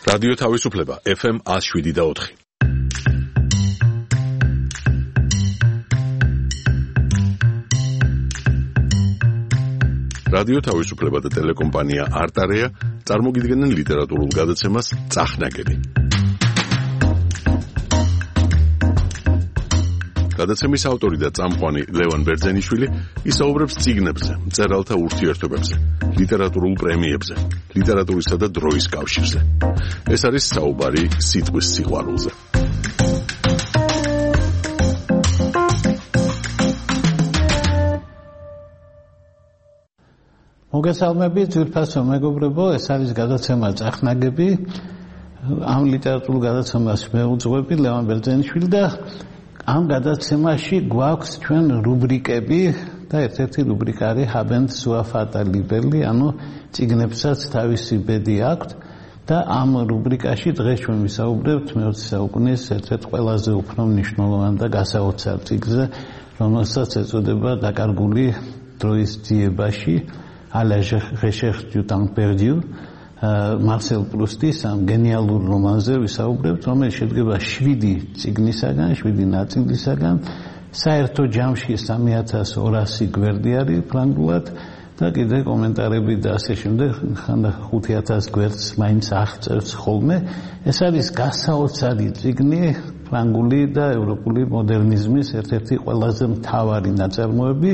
რადიო თავისუფლება FM 107.4. რადიო თავისუფლება და ტელეკომპანია არტარეა წარმოგიდგენენ ლიტერატურულ გადაცემას წახნაგები. გადაცემის ავტორი და წამყვანი ლევან ბერძენიშვილი ისაუბრებს წიგნებზე, მწერალთა ურთიერთობებზე, ლიტერატურულ პრემიებზე, ლიტერატურისა და დროის კავშირზე. ეს არის საუბარი სიტყვის სიყვარულზე. მოგესალმებით, ძვირფასო მეგობრებო, ეს არის გადაცემა წახნაგები. ამ ლიტერატურულ გადაცემას მეუძღვები ლევან ბერძენიშვილი და ამ გადაცემაში გვაქვს ჩვენ რუბრიკები და ერთ-ერთი რუბრიკა არის Habent sua fata libelli, ანუ წიგნებსაც თავისი ბედი აქვთ და ამ რუბრიკაში დღეს ჩვენ ვისაუბრებთ მე-20 საუკუნის ერთ-ერთ ყველაზე უფრო მნიშვნელოვან და გასაოცარ წიგნზე, რომელსაც ეწოდება დაკარგული დროის ძიებაში à la recherche du temps perdu. Marcel Proust-ის ამ გენიალურ რომანზე ვისაუბრებთ, რომელიც შედგება 7 წიგნისაგან, 7 ნაწილისაგან. საერთო ჯამში 3200 გვერდი არის ფრანგულად და კიდე კომენტარები და ასე შემდეგ, ხანდა 5000 გვერდს მაინც აღწერს ხოლმე. ეს არის გასაოცარი წიგნი ფრანგული და ევროპული მოდერნიზმის ერთ-ერთი ყველაზე მთავარი ნაწარმოები,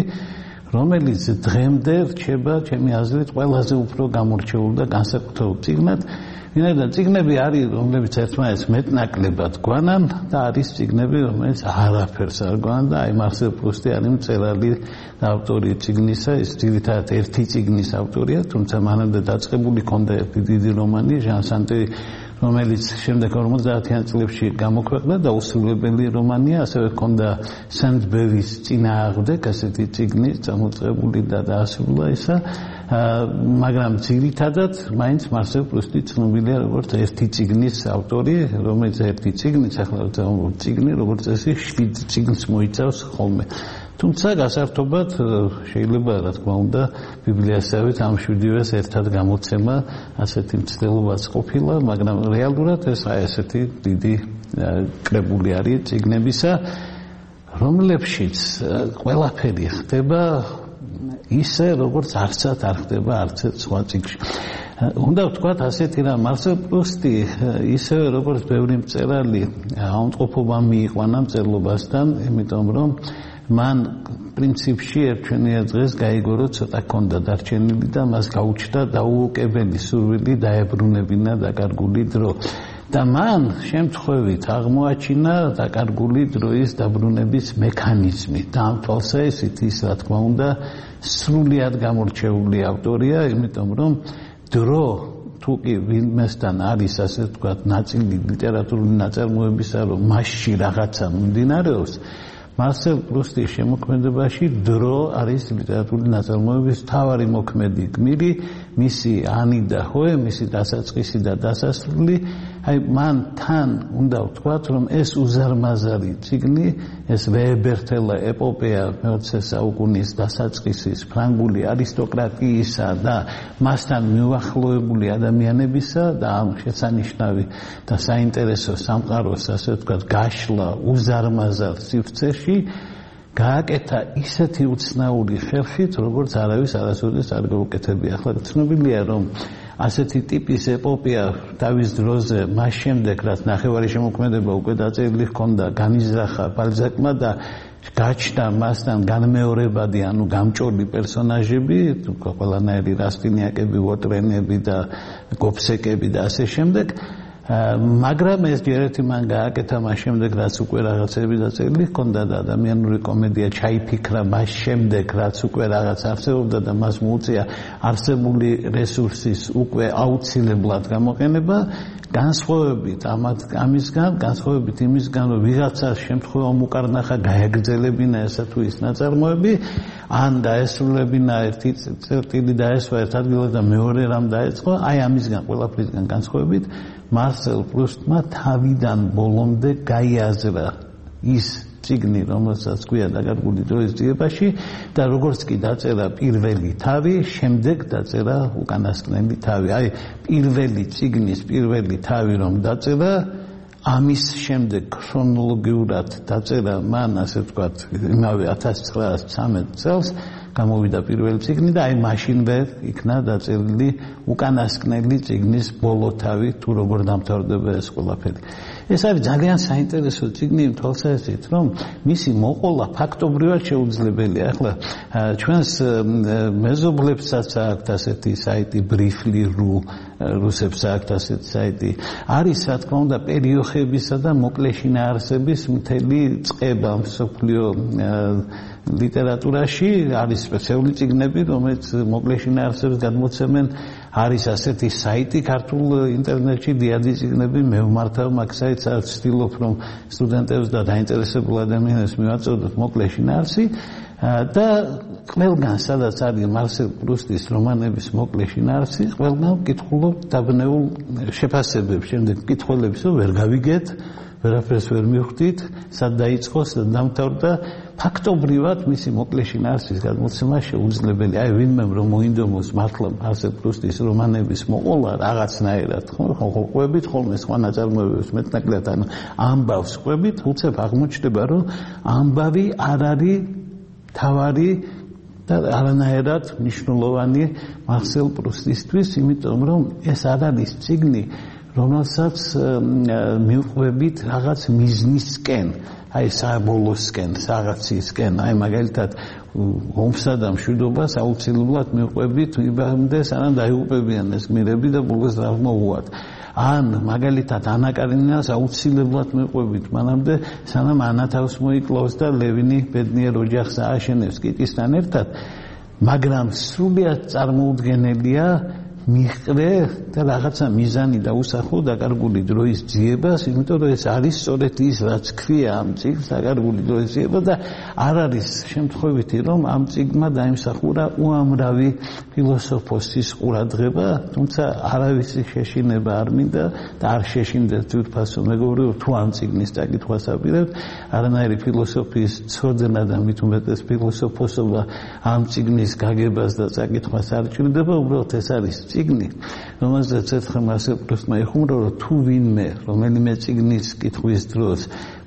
რომელიც დღემდე რჩება ჩემი აზრით ყველაზე უფრო გამორჩეულ და განსაკუთრებულ წიგნად. ვინაიდან წიგნები არის, რომლებიც ერთმანეთს მეტნაკლებად გვანან და არის წიგნები, რომელიც არაფერს არ გვანან და აი მარსელ პრუსტი არის მწერალი და ავტორი წიგნისა, ის ძირითადად ერთი წიგნის ავტორია, თუმცა მანამდე დაწყებული ჰქონდა ერთი დიდი რომანი, ჟან სანტი, რომელიც შემდეგ 50-იან წლებში გამოქვეყნდა და უსრულებელი რომანია, ასევე ჰქონდა სენდბერის წინააღმდეგ ასეთი წიგნი წამოწყებული და დაასრულა ისა, მაგრამ ძირითადად მაინც მარსელ პრუსტი ცნობილია როგორც ერთი წიგნის ავტორი, რომელიც ერთი წიგნიც ახლა წიგნი, როგორც წესი 7 წიგნს მოიცავს ხოლმე. თუმცა გასართობად შეიძლება რა თქმა უნდა ბიბლიასავით ამ 7-ვეს ერთად გამოცემა ასეთი მცდელობაც ყოფილა, მაგრამ რეალურად ეს ასეთი დიდი კრებული არის წიგნებისა, რომლებშიც ყველაფერი ხდება ისე, როგორც არცად არ ხდება არც ერთ სხვა წიგნში. უნდა ვთქვათ ასეთი რა, მარსელ პრუსტი ისევე როგორც ბევრი მწერალი ავადმყოფობა მიიყვანა მწერლობასთან, იმიტომ რომ მან პრინციპში ერთჩვენიან დღეს გაიგო, ცოტა ჰქონდა დარჩენილი და მას გაუჩნდა დაუოკებელი სურვილი დაებრუნებინა დაკარგული დრო. და მან შემთხვევით აღმოაჩინა დაკარგული დროის დაბრუნების მექანიზმი. და ამ თვალსაზრისით ის რა თქმა უნდა სრულიად გამორჩეული ავტორია, იმიტომ რომ დრო თუ კი ვინმესთან არის ასე ვთქვათ ნაწილი ლიტერატურული ნაწარმოებისა, რომ მასში რაღაცა მიმდინარეობს, მარსელ პრუსტის შემოქმედებაში დრო არის ლიტერატურული ნაწარმოების მთავარი მოქმედი გმირი, მისი ანი და ჰოე, მისი დასაწყისი და დასასრული. აი მან თან უნდა ვთქვათ, რომ ეს უზარმაზარი წიგნი, ეს ვეებერთელა ეპოპეა მე-20 საუკუნის დასაწყისის ფრანგული არისტოკრატიისა და მასთან მიუახლოვებული ადამიანებისა და ამ შესანიშნავი და საინტერესო სამყაროს ასე ვთქვათ გაშლა უზარმაზარ სივრცეში გააკეთა ისეთი უცნაური ხერხით, როგორც არავის არასოდეს არ გაუკეთებია. ახლა ცნობილია, რომ ასეთი ტიპის ეპოპეა თავის დროზე მას შემდეგ, რაც ნახევარი შემოქმედება უკვე დაწერილი ჰქონდა, განიზრახა ბალზაკმა და გაჩნდა მასთან განმეორებადი, ანუ გამჭოლი პერსონაჟები, ყველანაირი რასტინიაკები, ვოტრენები და გოფსეკები და ასე შემდეგ. მაგრამ ეს ჯერეთი მან გააკეთა მას შემდეგ, რაც უკვე რაღაცები დაწერილი ჰქონდა და ადამიანური კომედია ჩაიფიქრა მას შემდეგ, რაც უკვე რაღაც არსებობდა და მას მოუწია არსებული რესურსის უკვე აუცილებლად გამოყენება, განსხვავებით იმისგან, რომ ვიღაცას შემთხვევამ უკარნახა გაეგრძელებინა ესა თუ ის ნაწარმოები, ან დაესრულებინა ერთი წერტილი დაესვა ერთ ადგილას და მეორე რამ დაეწყო, აი ამისგან ყველაფრისგან განსხვავებით, მარსელ პრუსტმა თავიდან ბოლომდე გაიაზრა ის წიგნი, რომელსაც გვია დაკარგული დროის ძიებაში და როგორც კი დაწერა პირველი თავი, შემდეგ დაწერა უკანასკნელი თავი. აი, პირველი წიგნის პირველი თავი რომ დაწერა, ამის შემდეგ ქრონოლოგიურად დაწერა მან, ასე ვთქვათ, იმავე 1913 წელს გამოვიდა პირველი წიგნი და აი მაშინვე იქნა დაწერილი უკანასკნელი წიგნის ბოლო თავი, თუ როგორ დამთავრდება ეს ყველაფერი. ეს არის ძალიან საინტერესო წიგნი იმ თვალსაზრისით, რომ მისი მოყოლა ფაქტობრივად შეუძლებელია. ახლა ჩვენს მეზობლებსაც აქვთ ასეთი საიტი briefly.ru, რუსებს აქვთ ასეთი საიტი. არის, რა თქმა უნდა, პერიოხებისა და მოკლე შინაარსების მთელი წყება მსოფლიო ლიტერატურაში, არის სპეციალური წიგნები, რომელიც მოკლე შინაარსებს გადმოცემენ. არის ასეთი საიტი ქართულ ინტერნეტში, დიადი წიგნები, მე ვმართავ მაგ საიტს, ვცდილობ რომ სტუდენტებს და დაინტერესებულ ადამიანებს მივაწოდოთ მოკლე შინაარსი და ყველგან, სადაც არის მარსელ პრუსტის რომანების მოკლე შინაარსი, ყველგან ვკითხულობ დაბნეულ შეფასებებს, შემდეგ მკითხველებს ვერ გავიგეთ, ვერაფერს ვერ მივხვდით, სად დაიწყო, სად დამთავრდა. ფაქტობრივად მისი მოკლე შინაარსის გადმოცემა შეუძლებელი. აი, ვინმე რომ მოინდომოს მართლა მარსელ პრუსტის რომანების მოყოლა რაღაცნაირად, ხო, ყვებით ხოლმე სხვა ნაწარმოებებს მეტნაკლებად, ანუ ამბავს ყვებით, უცებ აღმოჩნდება, რომ ამბავი არ არის თავარი და არანაირად მნიშვნელოვანი მარსელ პრუსტისთვის, იმიტომ რომ ეს არ არის წიგნი, რომელსაც მივყვებით რაღაც მიზნისკენ, აი საბოლოოსკენ, რაღაცისკენ, აი მაგალითად ომსა და მშვიდობას აუცილებლად მივყვებით იმამდე, სანამ დაიღუპებიან ეს გმირები და ბოლოს რა მოუვათ. ან მაგალითად ანა კარინინას აუცილებლად მივყვებით მანამდე, სანამ ანა თავს მოიკლავს და ლევინი ბედნიერ ოჯახს ააშენებს კიტისთან ერთად, მაგრამ სრულიად წარმოუდგენელია მიჰყრე და რაღაცა მიზანი დაუსახო დაკარგული დროის ძიებას, იმიტომ რომ ეს არის სწორედ ის, რაც ქვია ამ წიგნს დაკარგული დროის ძიება და არ არის შემთხვევითი, რომ ამ წიგნმა დაიმსახურა უამრავი ფილოსოფოსის ყურადღება, თუმცა არავისი შეშინება არ მინდა და არ შეშინდეთ თვითფასო მეგობრებო, თუ ამ წიგნის წაკითხვას აპირებთ, არანაირი ფილოსოფიის ცოდნა და მით უმეტეს ფილოსოფოსობა ამ წიგნის გაგებას და წაკითხვას არ ჭირდება, უბრალოდ ეს არის წიგნი, რომელზეც ერთხელ მარსელ პრუსტმა იხუმრა, რომ თუ ვინმე რომელიმე წიგნის კითხვის დროს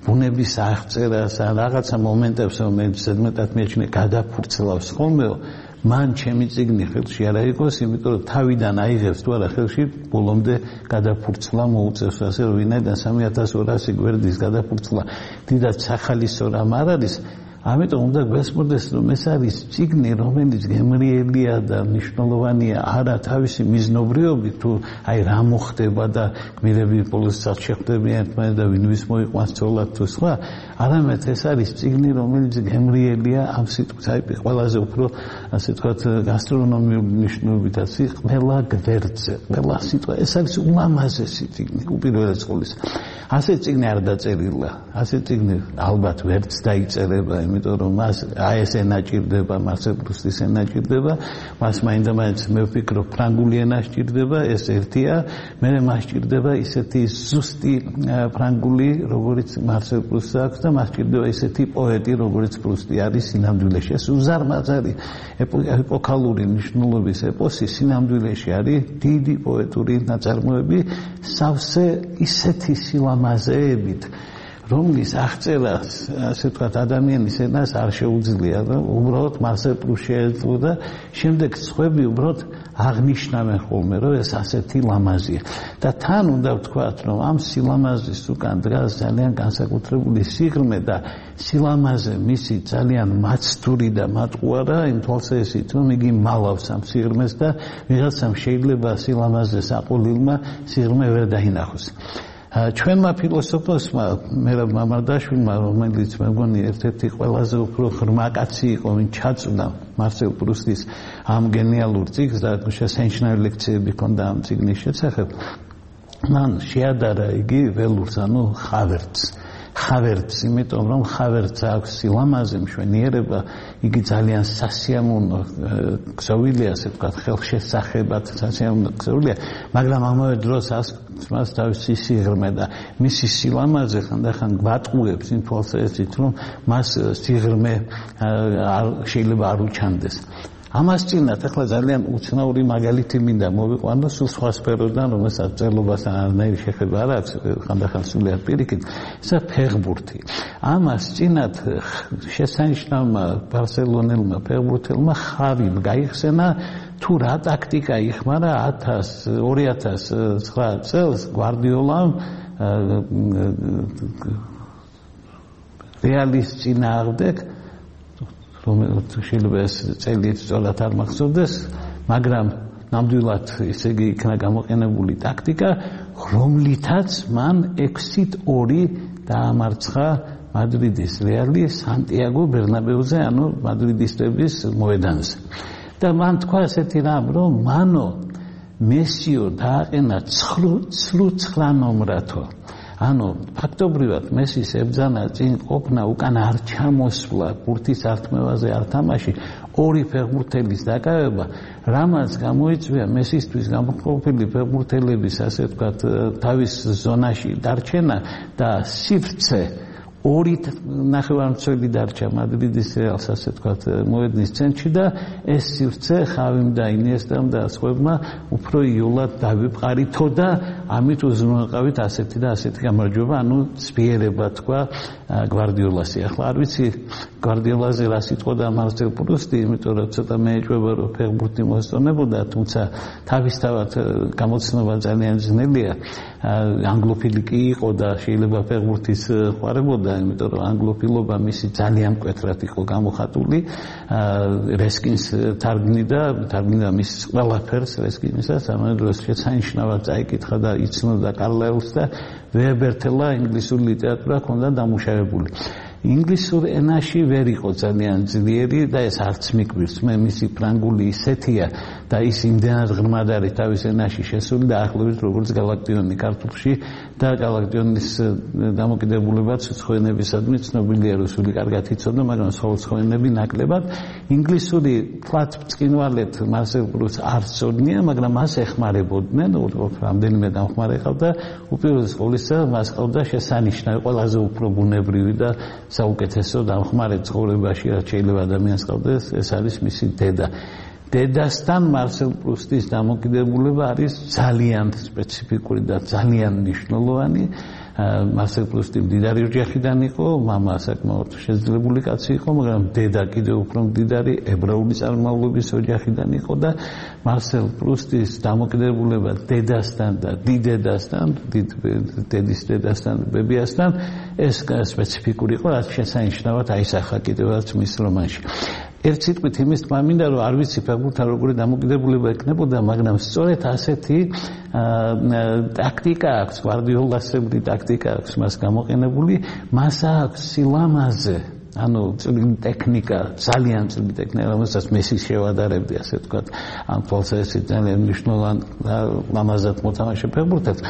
ბუნების აღწერას ან რაღაცა მომენტებს, რომელიც ზედმეტად მიაჩნია გადაფურცლავს ხოლმეო, მან ჩემი წიგნი ხელში არ აიღოს, იმიტომ რომ თავიდან აიღებს თუ არა ხელში, ბოლომდე გადაფურცლა მოუწევს, ასე რომ ვინაიდან 3200 გვერდის გადაფურცლა დიდად სახალისო რამ არ არის. ამიტომ უნდა გვესმოდეს, რომ ეს არის წიგნი, რომელიც გემრიელია და მნიშვნელოვანია არა თავისი მიზნობრიობით, თუ აი რა მოხდება და გმირები ბოლოსად შეხვდებიან ერთმანეთს და ვინ ვის მოიყვანს ცოლად თუ სხვა, არამედ ეს არის წიგნი, რომელიც გემრიელია ამ სიტყვის, აი ყველაზე უფრო, ასე ვთქვათ, გასტრონომიული მნიშვნელობითაც, ყველა გვერდზე, ყველა სიტყვა, ეს არის ულამაზესი წიგნი, უპირველეს ყოვლისა. ასე წიგნი არ დაწერილა, ასე წიგნი ალბათ ვერც დაიწერება, იმიტომ რომ მას აი ეს ენა ჭირდება, მარსელ პრუსტის ენა ჭირდება, მას მაინდა-მაინც მე ვფიქრობ ფრანგული ენა ჭირდება, ეს ერთია, მე მას ჭირდება ისეთი ზუსტი ფრანგული, როგორც მარსელ პრუსტს აქვს და მას ჭირდება ისეთი პოეტი, როგორც პრუსტი არის სინამდვილეში. ეს უზარმაზარი ეპოქალური მნიშვნელობის ეპოსი სინამდვილეში არის დიდი პოეტური ნაწარმოები, სავსე ისეთი სილამაზეებით, რომლის აღწერას, ასე ვთქვათ, ადამიანის ენას არ შეუძლია, რომ უბრალოდ მარსელ პრუსტს შეეძლო და შემდეგ სხვები უბრალოდ აღნიშნავენ ხოლმე, რომ ეს ასეთი ლამაზია. და თან უნდა ვთქვათ, რომ ამ სილამაზის უკან დგას ძალიან განსაკუთრებული სიღრმე და სილამაზე მისი ძალიან მაცდური და მატყუარა, იმ თვალსაზრისით, რომ იგი მალავს ამ სიღრმეს და ვიღაცამ შეიძლება სილამაზეს აყოლილმა სიღრმე ვერ დაინახოს. ჩვენმა ფილოსოფოსმა მერაბ მამარდაშვილმა, რომელიც მე მგონი ერთ-ერთი ყველაზე უფრო ღრმა კაცი იყო, ვინ ჩაწვდა მარსელ პრუსტის ამ გენიალურ წიგნს და შესანიშნავი ლექციები ჰქონდა ამ წიგნის შესახებ, მან შეადარა იგი ველურს, ანუ ხავერდს. ხავერდს, იმიტომ რომ ხავერდს აქვს სილამაზე, მშვენიერება, იგი ძალიან სასიამოვნო ქსოვილია, ასე ვთქვათ, ხელშესახებად სასიამოვნო ქსოვილია, მაგრამ ამავე დროს მას თავისი სიღრმე და მისი სილამაზე ხანდახან გვატყუებს იმ თვალსაზრისით, რომ მას სიღრმე შეიძლება არ უჩანდეს. ამას წინათ ახლა ძალიან უცნაური მაგალითი მინდა მოვიყვანო სულ სხვა სფეროდან, რომელსაც წერლობასთან არანაირი შეხება არ აქვს, ხანდახან სულიად პირიქით, ესა ფეხბურთი. ამას წინათ შესანიშნავმა ბარსელონელმა ფეხბურთელმა ხავი გაიხსენა თუ რა ტაქტიკა იხმარა 2009 წელს გვარდიოლამ რეალის წინააღმდეგ, შეიძლება ეს წელი სწორად არ მახსოვდეს, მაგრამ ნამდვილად ესე იგი იქნა გამოყენებული ტაქტიკა, რომლითაც მან 6-2 დაამარცხა მადრიდის რეალი სანტიაგო ბერნაბეუზე, ანუ მადრიდისტების მოედანზე. და მან თქვა ესეთი რამ, რომ მანო მესიო დააყენა 9 ნომრათო. ანუ ფაქტობრივად მესის ებძანა წინ ყოფნა უკან არ ჩამოსვლა, ბურთის ართმევაზე არ თამაში, 2 ფეხბურთელის დაკავება, რამაც გამოიწვია მესისთვის გამოყოფილი ფეხბურთელების, ასე ვთქვათ, თავის ზონაში დარჩენა და სივრცე 2 ნახევარმცველი დარჩა მადრიდის რეალს, ასე ვთქვათ, მოედნის ცენტრში და ეს სივრცე ხავიმ და ინიესტამ და სხვებმა უფრო იოლად დავიფყარითო და ამით უზრუნველყავით ასეთი და ასეთი გამარჯვება, ანუ ცვიერება თქვა გვარდიოლასი. ახლა არ ვიცი გვარდიოლაზე რა სიტყოდა მარსელ პრუსტი, იმიტომ რომ ცოტა მეეჭვება რომ ფეხბურთი მოსწონებოდა, თუმცა თავისთავად გამოცნობა ძალიან ძნელია. ანგლოფილი კი იყო და შეიძლება ფეხბურთის ყვარებოდა, იმიტომ რომ ანგლოფილობა მისი ძალიან მკვეთრად იყო გამოხატული. რესკინს თარგმნიდა მის ყველაფერს რესკინისას, ამავე დროს შესანიშნავად წაიკითხა და იცნობდა კარლაილს და ვეებერთელა ინგლისური ლიტერატურა ჰქონდა დამუშავებული. ინგლისურ ენაში ვერ იყო ძალიან ძლიერი და ეს არც მიკვირს. მე მისი ფრანგული ისეთია და ის იმდენად ღრმად არის თავის ენაში შესული და ახლობით როგორც გალაქტიონი ქართულში და გალაქტიონის დამოკიდებულებაც ცხენებისადმი ცნობილია, რუსული კარგად იცოდა, მაგრამ სხვა ცხენები ნაკლებად. ინგლისური თვათ ბრწყინვალეთ მარსელ პრუსტს არ სწორნია, მაგრამ მას ეხმარებოდნენ, რამდენიმე დამხმარე ყავდა, უპირველეს ყოვლისა მას ყავდა შესანიშნავი, ყველაზე უფრო ბუნებრივი და საუკეთესო დამხმარე ცხოვრებაში, რაც შეიძლება ადამიანს ყავდეს, ეს არის მისი დედა. დედასთან მარსელ პრუსტის დამოკიდებულება არის ძალიან სპეციფიკური და ძალიან მნიშვნელოვანი. მარსელ პრუსტი მდიდარი ოჯახიდან იყო, მამა საკმაოდ შეძლებული კაცი იყო, მაგრამ დედა კიდევ უფრო მდიდარი ებრაული წარმომავლობის ოჯახიდან იყო და მარსელ პრუსტის დამოკიდებულება დედასთან და დიდედასთან, დედის დედასთან, ბებიასთან, ეს სპეციფიკური იყო, რაც შესანიშნავად აისახა კიდევაც მის რომანში. ერთ სიტყვით იმის თქმა მინდა, რომ არ ვიცი ფეხბურთთან როგორი დამოკიდებულება ექნებოდა, მაგრამ სწორედ ასეთი ტაქტიკა აქვს, გვარდიოლასებრი ტაქტიკა აქვს მას გამოყენებული, მას აქვს სილამაზე, ანუ წვრილი ტექნიკა, ძალიან წვრილი ტექნიკა, რომელსაც მესი შევადარებდი, ასე ვთქვათ, ამ თვალსაზრისით ძალიან მნიშვნელოვან ლამაზად მოთამაშე ფეხბურთელს.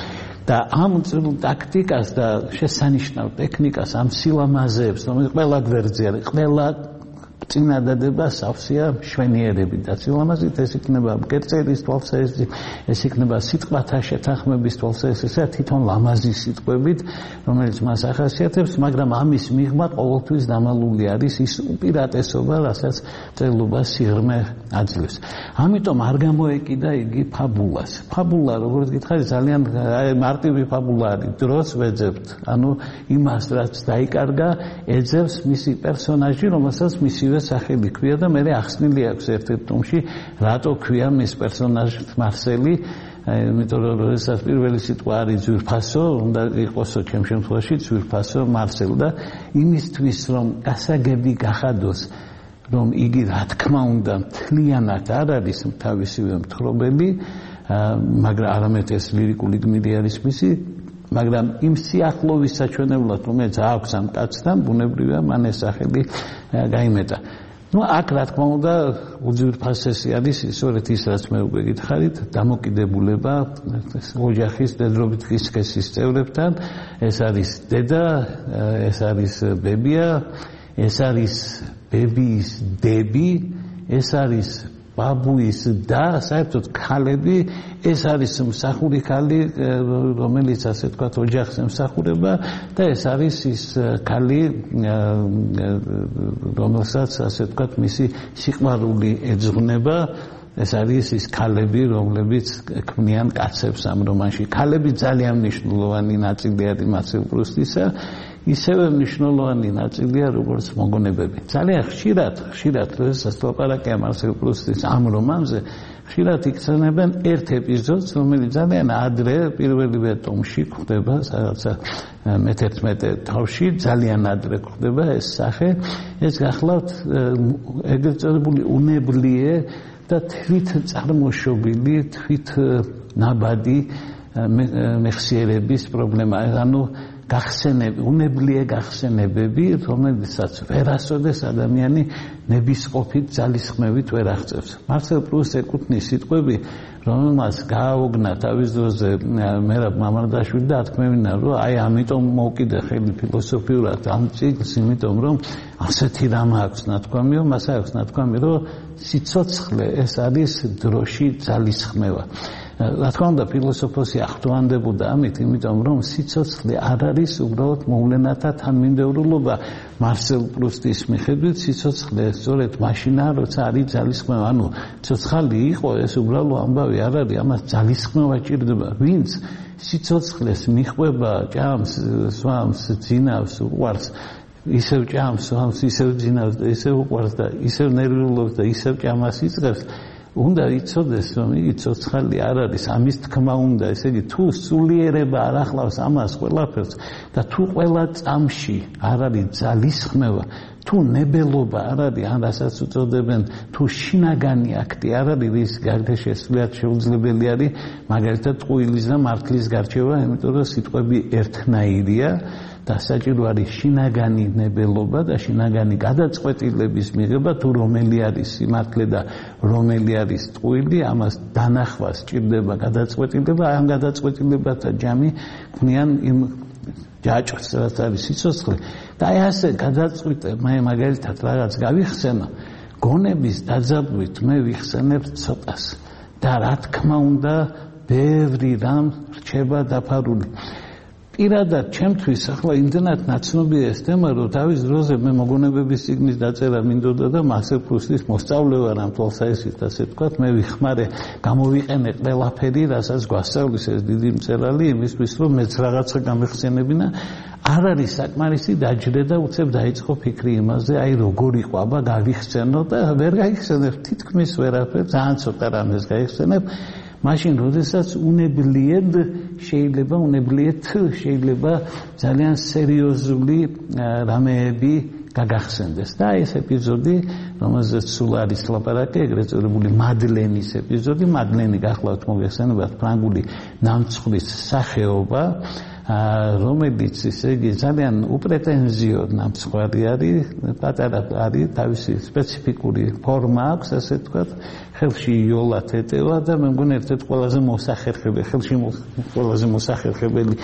და ამ წვრილ ტაქტიკას და შესანიშნავ ტექნიკას, ამ სილამაზეებს, რომელიც ყველა გვერდზე არის, ყველა წინადადება სავსეა მშვენიერებით და სილამაზით ეს იქნება მკერწერის თვალსაზრისით, ეს იქნება სიტყვათა შეთანხმების თვალსაზრისით, თვითონ ლამაზი სიტყვებით, რომელიც მას ახასიათებს, მაგრამ ამის მიღმა ყოველთვის დამალული არის ის უპირატესობა, რასაც წერლობა სიღრმე აძლევს. ამიტომ არ გამოეკიდა იგი ფაბულას. ფაბულა, როგორც გითხარით, ძალიან მარტივი ფაბულა არის, დროს ვეძებთ, ანუ იმას, რაც დაიკარგა, ეძებს მისი პერსონაჟი, რომელსაც მისივე სახელი ქვია და მე ახსნილი აქვს ერთ-ერთ ტომში, რატო ქვია მის პერსონაჟს მარსელი, იმიტომ რომ როდესაც პირველი სიტყვა არის ძვირფასო, უნდა იყოსო ჩემ შემთხვევაში ძვირფასო მარსელ და იმისთვის რომ გასაგები გახადოს, რომ იგი რა თქმა უნდა მთლიანად არ არის თავისივე მთხრობელი, მაგრამ არამედ ეს ლირიკული გმირი არის მისი, მაგრამ იმ სიახლოვის საჩვენებლად, რომელიც აქვს ამ კაცთან, ბუნებრივია მან ეს სახელი გაიმეტა. აქ რა თქმა უნდა უძვირფასესი არის სწორედ ის რაც მე უკვე გითხარით დამოკიდებულება ოჯახის დედრობით კისკესის წევრებთან ეს არის დედა ეს არის ბებია ეს არის ბებიის დები ეს არის ბაბუის და საერთოდ ქალები ეს არის მსახური ქალი რომელიც ასე თქვა ოჯახს ემსახურება და ეს არის ის ქალი რომელსაც ასე თქვა მისი სიყვარული ეძღვნება ეს არის ის ქალები რომლებიც ქმნიან კაცებს ამ რომანში ქალები ძალიან მნიშვნელოვანი ნაწილი არის მარსელ პრუსტისა ისევე მნიშვნელოვანი ნაწილია როგორც მოგონებები. ძალიან ხშირად როდესაც ლაპარაკია მარსელ პრუსტის ამ რომანზე, ხშირად იქცევენ ერთ ეპიზოდს, რომელიც ძალიან ადრე პირველივე ტომში გვხდება, რაღაცა მე-11 თავში, ძალიან ადრე გვხდება ეს სახე. ეს გახლავთ ეგრეთ წოდებული უნებლიე და თვით წარმოშობილი, თვით ნაბადი მეხსიერების პრობლემა. ანუ უნებლიე გახსენებები, რომელსაც ვერასოდეს ადამიანი ნებისყოფით ძალისხმევით ვერ აღწევს. მარსელ პრუსტს ეკუთვნის სიტყვები, რომელმაც გააოგნა თავის დროზე მერაბ მამარდაშვილი და ათქმევინა, რომ აი ამიტომ მოვკიდე ხელი ფილოსოფიურად ამ ციკლს, იმიტომ რომ ასეთი რამ აქვს ნათქვამიო, მას აქვს ნათქვამი, რომ სიცოცხლე ეს არის დროში ძალისხმევა. რა თქმა უნდა ფილოსოფოსი ახტოვანდებოდა ამით, იმიტომ რომ სიცოცხლე არ არის უბრალოდ მოვლენათა თანმიმდევრულობა. მარსელ პრუსტის მიხედვით სიცოცხლე სწორედ მაშინაა, როცა არის ძალისხმევა. ანუ ცოცხალი იყო ეს უბრალო ამბავი არ არის, ამას ძალისხმევა ჭირდება. ვინც სიცოცხლეს მიხვება, ჭამს, სვამს, ძინავს, უყვარს ისევ ჭამს, სვამს, ისევ ძინავს და ისევ უყვარს და ისევ ნერვიულობს და ისევ ჭამას იწყებს უნდა იცოდეს რომ იგი ცოცხალი არ არის ამის თქმა უნდა ესე იგი თუ სულიერება არ ახლავს ამას ყველაფერს და თუ ყველა წამში არ არის ძალისხმევა თუ ნებელობა არ არის ან რასაც უწოდებენ თუ შინაგანი აქტი არ არის რის გარდა შესულიად შეუძლებელი არის მაგალითად ტყუილის და მართლის გარჩევა იმიტომ რომ სიტყვები ერთნაირია და საჭირო არის შინაგანი ნებელობა და შინაგანი გადაწყვეტილების მიღება თუ რომელი არის სიმართლე და რომელი არის ტყუილი ამას დანახვას ჭირდება გადაწყვეტილება ამ გადაწყვეტილებათა ჯამი ქმნიან იმ ჯაჭვს რაც არის სიცოცხლე და აი ასე გადაწყვიტე მე მაგალითად რაღაც გავიხსენო გონების დაძაბვით მე ვიხსენებ ცოტას და რა თქმა უნდა ბევრი რამ რჩება დაფარული პირადად ჩემთვის ახლა იმდენად ნაცნობია ეს თემა რომ თავის დროზე მე მოგონებების წიგნის დაწერა მინდოდა და მარსელ პრუსტის მოსწავლე ვარ ამ თვალსაჩინოდ ასე ვთქვათ მე ვიხმარე გამოვიყენე ყველაფერი რასაც გვასწავლის ეს დიდი მწერალი იმისთვის რომ მეც რაღაცა გამეხსენებინა არ არის საკმარისი დაჯდე და უცებ დაიწყო ფიქრი იმაზე აი როგორ იყო აბა გავიხსენო და ვერ გაიხსენებ თითქმის ვერაფერს ძალიან ცოტა რამეს გაიხსენებ მაშინ როდესაც უნებლიეთ შეიძლება ძალიან სერიოზული რამეები გაგახსენდეს და ეს ეპიზოდი რომელზეც სულ არის ლაპარაკი ეგრეთ წოდებული მადლენის ეპიზოდი მადლენი გახლავთ მოგეხსენებათ ფრანგული ნამცხვრის სახეობა რომელიც ისე იგი ძალიან უპრეტენზიო ნამცხვარი არის პატარა არის თავისი სპეციფიკური ფორმა აქვს ასე ვთქვათ ხელში იოლად ეტევა და მე მგონი ერთ-ერთი ყველაზე მოსახერხებელი ხელში ყველაზე მოსახერხებელი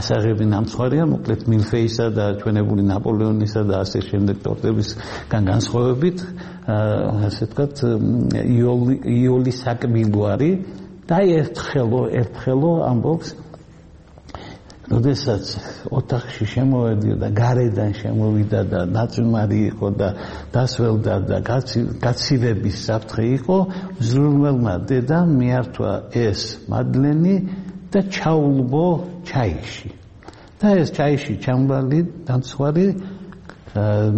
ასაღები ნამცხვარია მოკლედ მილფეისა და ჩვენებული ნაპოლეონისა და ასე შემდეგ ტორტებისგან განსხვავებით ასე ვთქვათ იული საკმილო არის და ერთხელო ამბობს როდესაც ოთახში შემოვედი გარედან შემოვიდა და ნაწვიმარი იყო და დასველდა და გაცივების საფრთხე იყო მზრუნველმა დედამ მიართვა ეს მადლენი და ჩაულბო ჩაიში და ეს ჩაიში ჩამბალი დამცხვარი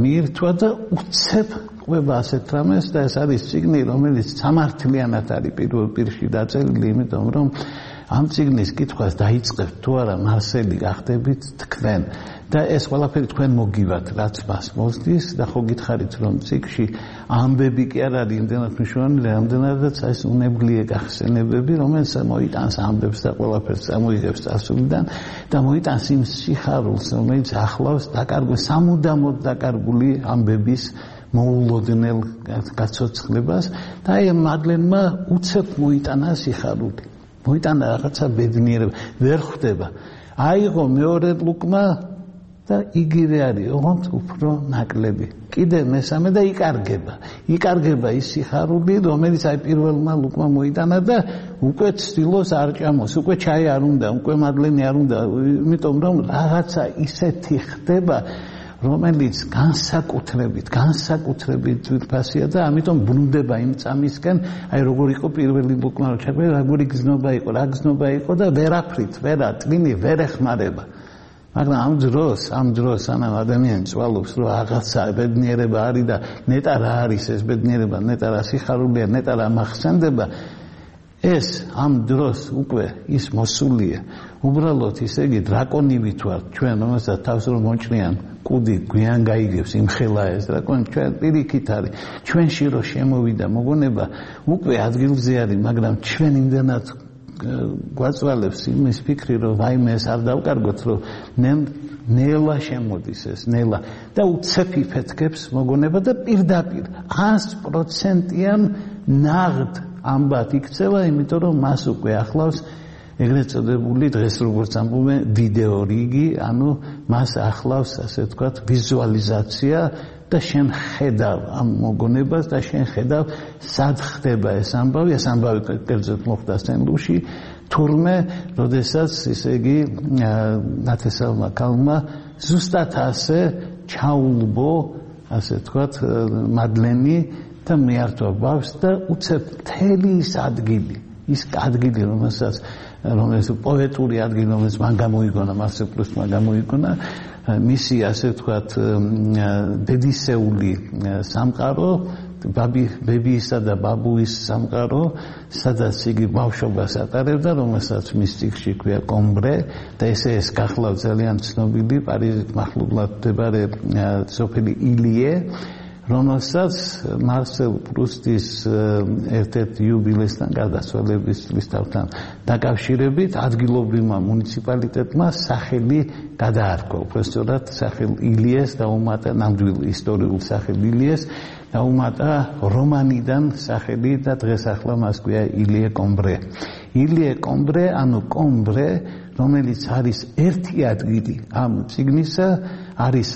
მიირთვა და უცებ ყვება ასეთ რამეს და ეს არის წიგნი რომელიც სამართლიანად არის პირველ პირში დაწერილი იმიტომ რომ ამ წიგნის კითხვას დაიწყებთ თუ არა მარსელი გახდებით თქვენ და ეს ყველაფერი თქვენ მოგივათ რაც მას მოსდის და ხო გითხარით რომ წიგნში ამბები კი არ არის იმდენად მნიშვნელოვანი რამდენადაც ეს უნებლიე გახსენებები რომელიც მოიტანს ამბებს და ყველაფერს წამოიღებს წარსულიდან და მოიტანს იმ სიხარულს რომელიც ახლავს სამუდამოდ დაკარგული ამბების მოულოდნელ გაცოცხლებას და აი მადლენმა უცებ მოიტანა სიხარული მოიტანა რაღაცა ბედნიერება ვერ ხვდება აიღო მეორე ლუკმა და იგივე არის ოღონდ უფრო ნაკლები კიდე მესამე და იკარგება ის სიხარული რომელიც აი პირველმა ლუკმა მოიტანა და უკვე ცდილობს არ ჭამოს უკვე ჩაი არ უნდა უკვე მადლენი არ უნდა იმიტომ რომ რაღაცა ისეთი ხდება რომელიც განსაკუთრებით ძვირფასია და ამიტომ ბრუნდება იმ წამისკენ აი როგორ იყო პირველი ლუკმა რომ ჩაგვე როგორი გზნობა იყო და ვერაფრით ტვინი ვერ ეხმარება მაგრამ ამ დროს სანამ ადამიანი წვალობს რომ რაღაცა ბედნიერება არის და ნეტა რა არის ეს ბედნიერება ნეტა რა სიხარულია ნეტა რა მახსენდება ეს ამ დროს უკვე ის მოსულია უბრალოდ ისე იგი დრაკონივით ვარ ჩვენ რომელსაც თავს რომ მოჭრიან კუდი გვიან გაიგებს იმხელა ეს დრაკონი ჩვენ პირიქით არის ჩვენში რომ შემოვიდა მოგონება უკვე ადგილზე არის მაგრამ ჩვენ იმდანაც გვაწვალებს იმის ფიქრი რომ ვაიმე ეს არ დავკარგოთ რომ ნელა შემოდის ეს ნელა და უცებ იფეთქებს მოგონება და პირდაპირ 100%-იან ნაღდ ამბად იქცევა იმიტომ რომ მას უკვე ახლავს ეგრეთ წოდებული დღეს როგორც ამბობენ ვიდეო რიგი ანუ მას ახლავს ასე ვთქვათ ვიზუალიზაცია და შენ ხედავ ამ მოგონებას და შენ ხედავ სად ხდება ეს ამბავი კერძოდ მოხდა სენლუში თურმე როდესაც ისე იგი ნათესავმა ქალმა ზუსტად ასე ჩაულბო ასე ვთქვათ მადლენი და მიართვა ბავშვს და უცებ მთელი ის ადგილი რომელიც პოეტური ადგილი რომელიც მან გამოიგონა მასე პლუსმა გამოიგონა მისი ასე ვთქვათ დედისეული სამყარო ბებიისა და ბაბუის სამყარო სადაც იგი ბავშვობას ატარებდა რომელსაც მის წიგნში ქვია კომბრე და ეს გახლავთ ძალიან ცნობილი პარიზით მახლობლად მდებარე სოფელი ილიე რომელსაც მარსელ პრუსტის ერთ-ერთ იუბილესთან გარდაცვალების წლისთავთან დაკავშირებით ადგილობრივმა მუნიციპალიტეტმა სახელი გადაარქვა უბრალოდ სახელ ილიეს დაუმატა ნამდვილ ისტორიულ სახელ ილიეს დაუმატა რომანიდან სახელი და დღეს ახლა მას ქვია ილიე კომბრე ანუ კომბრე რომელიც არის ერთი ადგილი ამ წიგნისა არის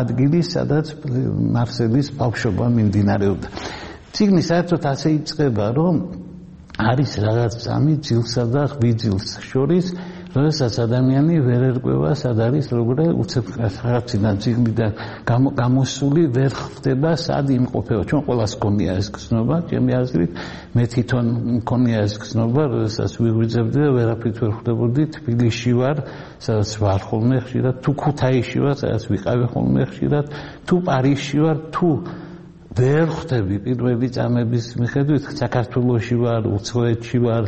ადგილი სადაც მარსელის ბავშვობა მიმდინარეობდა წიგნი საერთოდ ასე იწყება რომ არის რაღაც წამი ძილსა და ღვიძლს შორის როდესაც ადამიანი ვერ ერკვევა სად არის როგორ უცებ რაღაციდან წიგნიდან გამოსული ვერ ხვდება სად იმყოფება ჩვენ ყველას გქონია ეს გზნობა ჩემი აზრით მე თვითონ მქონია ეს გზნობა როდესაც ვიღვიძებდი და ვერაფრით ვერ ხვდებოდი თბილისში ვარ სადაც ვარ ხოლმე ხშირად თუ ქუთაისში ვარ სადაც ვიყავი ხოლმე ხშირად თუ პარიზში ვარ თუ ვერ ხვდები პირველი წამების მიხედვით საქართველოში ვარ უცხოეთში ვარ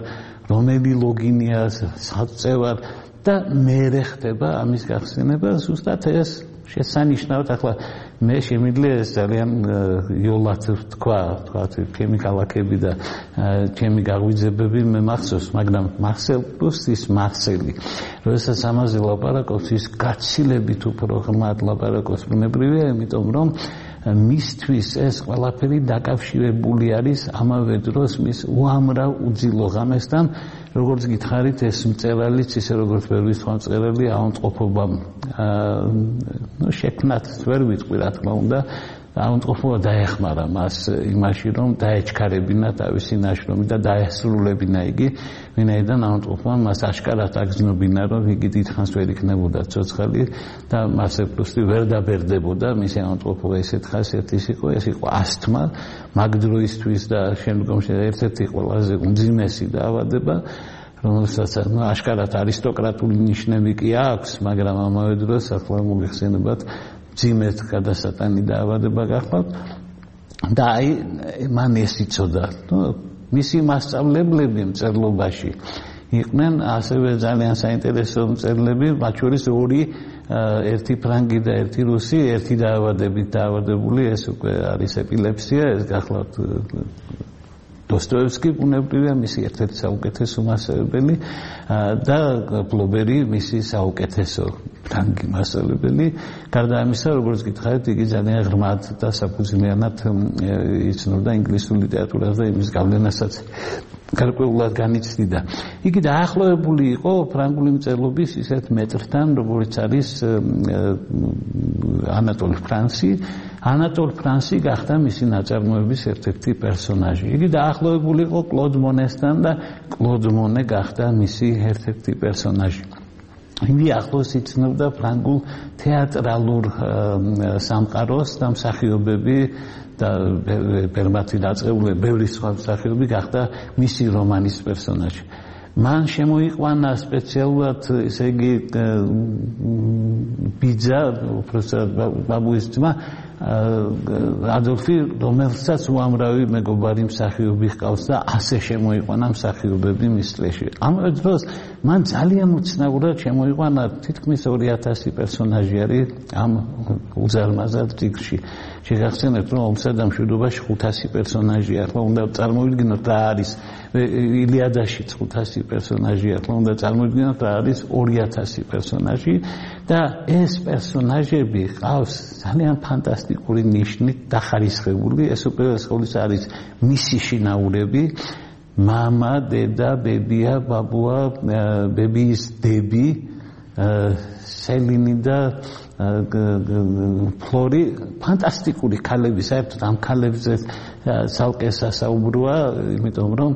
რომელი ლოგინია საწევარ და მე ხდება ამის გახსენება ზუსტად ეს შესანიშნავად ახლა მე შემიძლია ეს ძალიან იოლად თქვა ჩემი ქალაქები და ჩემი გაღვიძებები მე მახსოვს მაგრამ მარსელ პრუსტის მარსელი როდესაც ამაზე ლაპარაკობს ის გაცილებით უფრო ღრმად ლაპარაკობს ბუნებრივია იმიტომ რომ მისთვის ეს ყველაფერი დაკავშირებული არის ამავე დროს მის უამრავ უძილო ღამესთან როგორც გითხარით ეს მწერალიც ისე როგორც ვერ ვისხვა მწერალი აუნტყოფობამ შექმნათ ვერ ვიტყვი რა თქმა უნდა აუნტყოფობა დაეხმარა მას იმაში რომ დაეჩქარებინა თავისი ნაშრომი და დაესრულებინა იგი ვინაიდან აუნტყოფობამ მას აშკარად აგზნობინა რომ იგი დიდხანს ვერ იქნებოდა ცოცხალი და მასე პრუსტი ვერ დაბერდებოდა მისი აუნტყოფობა ესეთ ხასიათის იყო ეს იყო ასთმა მაგ დროისთვის და შემდგომში ერთ-ერთი ყველაზე უმძიმესი დაავადება რომელსაც აშკარად არისტოკრატული ნიშნები კი აქვს მაგრამ ამავე დროს ახლა მოიხსენებათ ძიმეთ გადასატანი დაავადება გახლავთ და აი მან ეს იცოდა მისი მასწავლებლები მწერლობაში იყვნენ ასევე ძალიან საინტერესო მწერლები მათ შორის ორი ერთი ფრანგი და ერთი რუსი ერთი დაავადებით დაავადებული ეს უკვე არის ეპილეფსია ეს გახლავთ დოსტოევსკი ბუნებრივია მისი ერთ-ერთი საუკეთესო მასწავლებელი და ბლობერი მისი საუკეთესო ფრანგი მასწავლებელი. გარდა ამისა, როგორც გითხარით, იგი ძალიან ღრმად და საფუძვლიანად იცნობდა ინგლისურ ლიტერატურას და იმის გავლენასაც გარკვეულად განიცდიდა. იგი დაახლოებული იყო ფრანგული მწერლობის ისეთ მეტრთან, როგორც არის ანატოლ ფრანსი. ანატოლ ფრანსი გახდა მისი ნაწარმოების ერთ-ერთი პერსონაჟი. იგი დაახლოებული იყო კლოდ მონესთან და კლოდ მონე გახდა მისი ერთ-ერთი პერსონაჟი. იგი ახლოს იცნობდა ფრანგულ თეატრალურ სამყაროს და მსახიობები და ბევრი დაწყებული ბევრი სხვა მსახიობი გახდა მისი რომანის პერსონაჟი. მან შემოიყვანა სპეციალურად ესე იგი ბიძა უпроსად ბაბუის ძმა ადოლფი, რომელსაც უამრავი მეგობარი მსახიობი ჰყავს და ასე შემოიყვანა მსახიობები მის წლებში. ამავე დროს მან ძალიან უცნაურად შემოიყვანა თითქმის 2000 პერსონაჟი არის ამ უზარმაზარ წიგნში. შეგახსენებთ, რომ ომსა და მშვიდობაში 500 პერსონაჟია. ახლა უნდა წარმოვიდგინოთ რა არის ილიადაშიც 500 პერსონაჟია. ახლა უნდა წარმოვიდგინოთ რა არის 2000 პერსონაჟი და ეს პერსონაჟები ყავს ძალიან ფანტასტიკური ნიშნით დახარისხებული. ეს უპირველეს არის მისი შინაურები, მამა, დედა, ბებია, ბაბუა, ბებიის დები, სელინი და ფლორი, ფანტასტიკური ქალები, საერთოდ ამ ქალებზე ცალკე სასაუბროა, იმიტომ რომ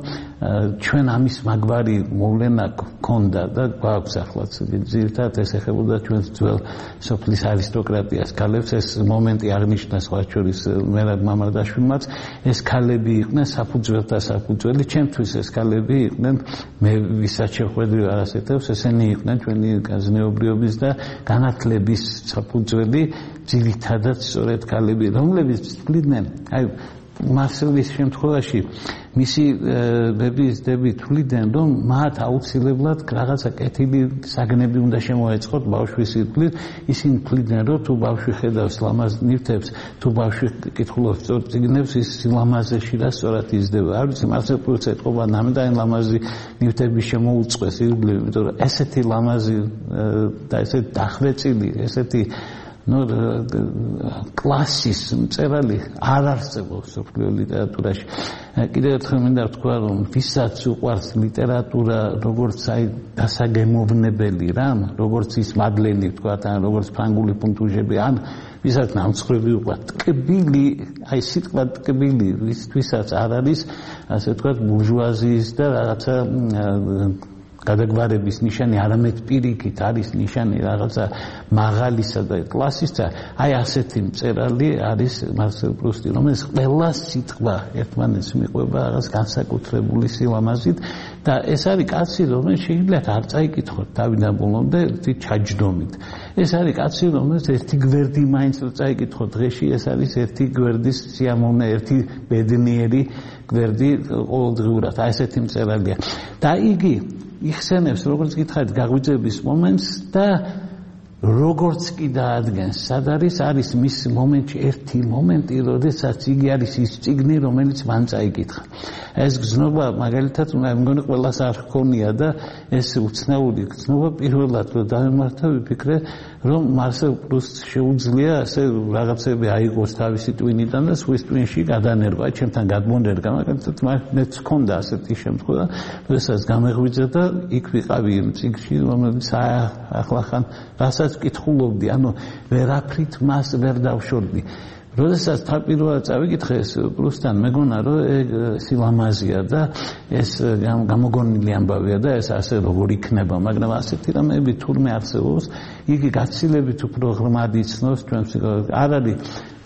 ჩვენ ამის მაგვარი მოვლენა გქონდა და გვაქვს ახლაც ძირითადად ეს ეხებოდა ჩვენ ძველ სოფლის არისტოკრატიას ქალებს. ეს მომენტი აღნიშნა სხვა შორის მერაბ მამარდაშვილმაც. ეს ქალები იყვნენ საფუძველთა საფუძველი, ჩემთვის ეს ქალები იყვნენ, მე ვისაც შეხვედრი არ ასეთებს, ესენი იყვნენ ჩვენი განზნეობრიობის და განათლების საფუძველი, ძირითადად სწორედ ქალები, რომლებიც თვლიდნენ, აი მარსელის შემთხვევაში მისი ბებიის დები თვლიდნენ, რომ მათ აუცილებლად რაღაცა კეთილი საგნები უნდა შემოეწყოთ ბავშვის სიკვდილით. ისინი თვლიდნენ, რომ თუ ბავშვი ხედავს ლამაზ ნივთებს, თუ ბავშვი კითხულობს სწორ წიგნებს, ის სილამაზეში და სწორად იზრდება. არ ვიცი, მარსელ პრუსტს ეთყობა ნამდვილად ლამაზი ნივთები შემოუწყვეს ირგვლივ, იმიტომ რომ ესეთი ლამაზი და ესეთი დახვეწილი, ესეთი კლასის მწერალი არ არსებობს მსოფლიო ლიტერატურაში. კიდევ ერთხელ მინდა ვთქვა, რომ ვისაც უყვარს ლიტერატურა, როგორც აი დასაგემოვნებელი რამ, როგორც ის მადლენი ვთქვა, ან როგორც ფრანგული პუნქტუჟები, ან ვისაც ნამცხრები უყვარს, ტკბილი, აი სიტყვა ტკბილი, ვისაც არ არის, ასე ვთქვათ, ბურჟუაზიის და რაღაცა გადაგვარების ნიშანი, არამედ პირიქით არის ნიშანი რაღაცა მაღალისა და კლასისა. აი ასეთი მწერალი არის მარსელ პრუსტი, რომელიც ყველა სიტყვა ერთმანეთს მიყვება რაღაც განსაკუთრებული სილამაზით და ეს არის კაცი, რომელიც შეიძლება არ წაიკითხოთ თავიდან ბოლომდე ერთი ჩაჯდომით. ეს არის კაცი, რომელიც ერთი გვერდი მაინც რო წაიკითხოთ დღეში, ეს არის ერთი გვერდის სიამოვნე, ერთი ბედნიერი გვერდი ყოველდღიურად. აი ესეთი მწერალია. და იგი იხსენებს, როგორც გითხარით, გაღვიძების მომენტს და როგორც კი დაადგენს, სად არის მის მომენტში ერთი მომენტი, როდესაც იგი არის ის წიგნი, რომელიც მან წაიკითხა. ეს გზნობა მაგალითად მე მგონი ყველას არ ჰქონია და ეს უცნაური გზნობა პირველად რომ დავემართა, ვიფიქრე, რომ მარსელ პრუსტს შეუძლია ასე რაღაცები აიღოს თავისი ტვინიდან და სვის ტვინში გადანერგვა, ჩემთან გადმონერგა, მაგალითად მეც ჰქონდა ასეთი შემთხვევა, როდესაც გამეღვიძა და იქ ვიყავი იმ წიგნში, რომელიც ახლახან რასაც ვკითხულობდი, ანუ ვერაფრით მას ვერ დავშორდი. როდესაც თავპირველად წავიკითხე ეს პრუსტთან, მეგონა რომ სილამაზია და ეს გამოგონილი ამბავია და ეს ასე როგორ იქნება, მაგრამ ასეთი რამეები თურმე არსებობს, იგი გაცილებით უფრო ღრმად იცნობს ჩვენ ფსიქოლოგიას. არ არის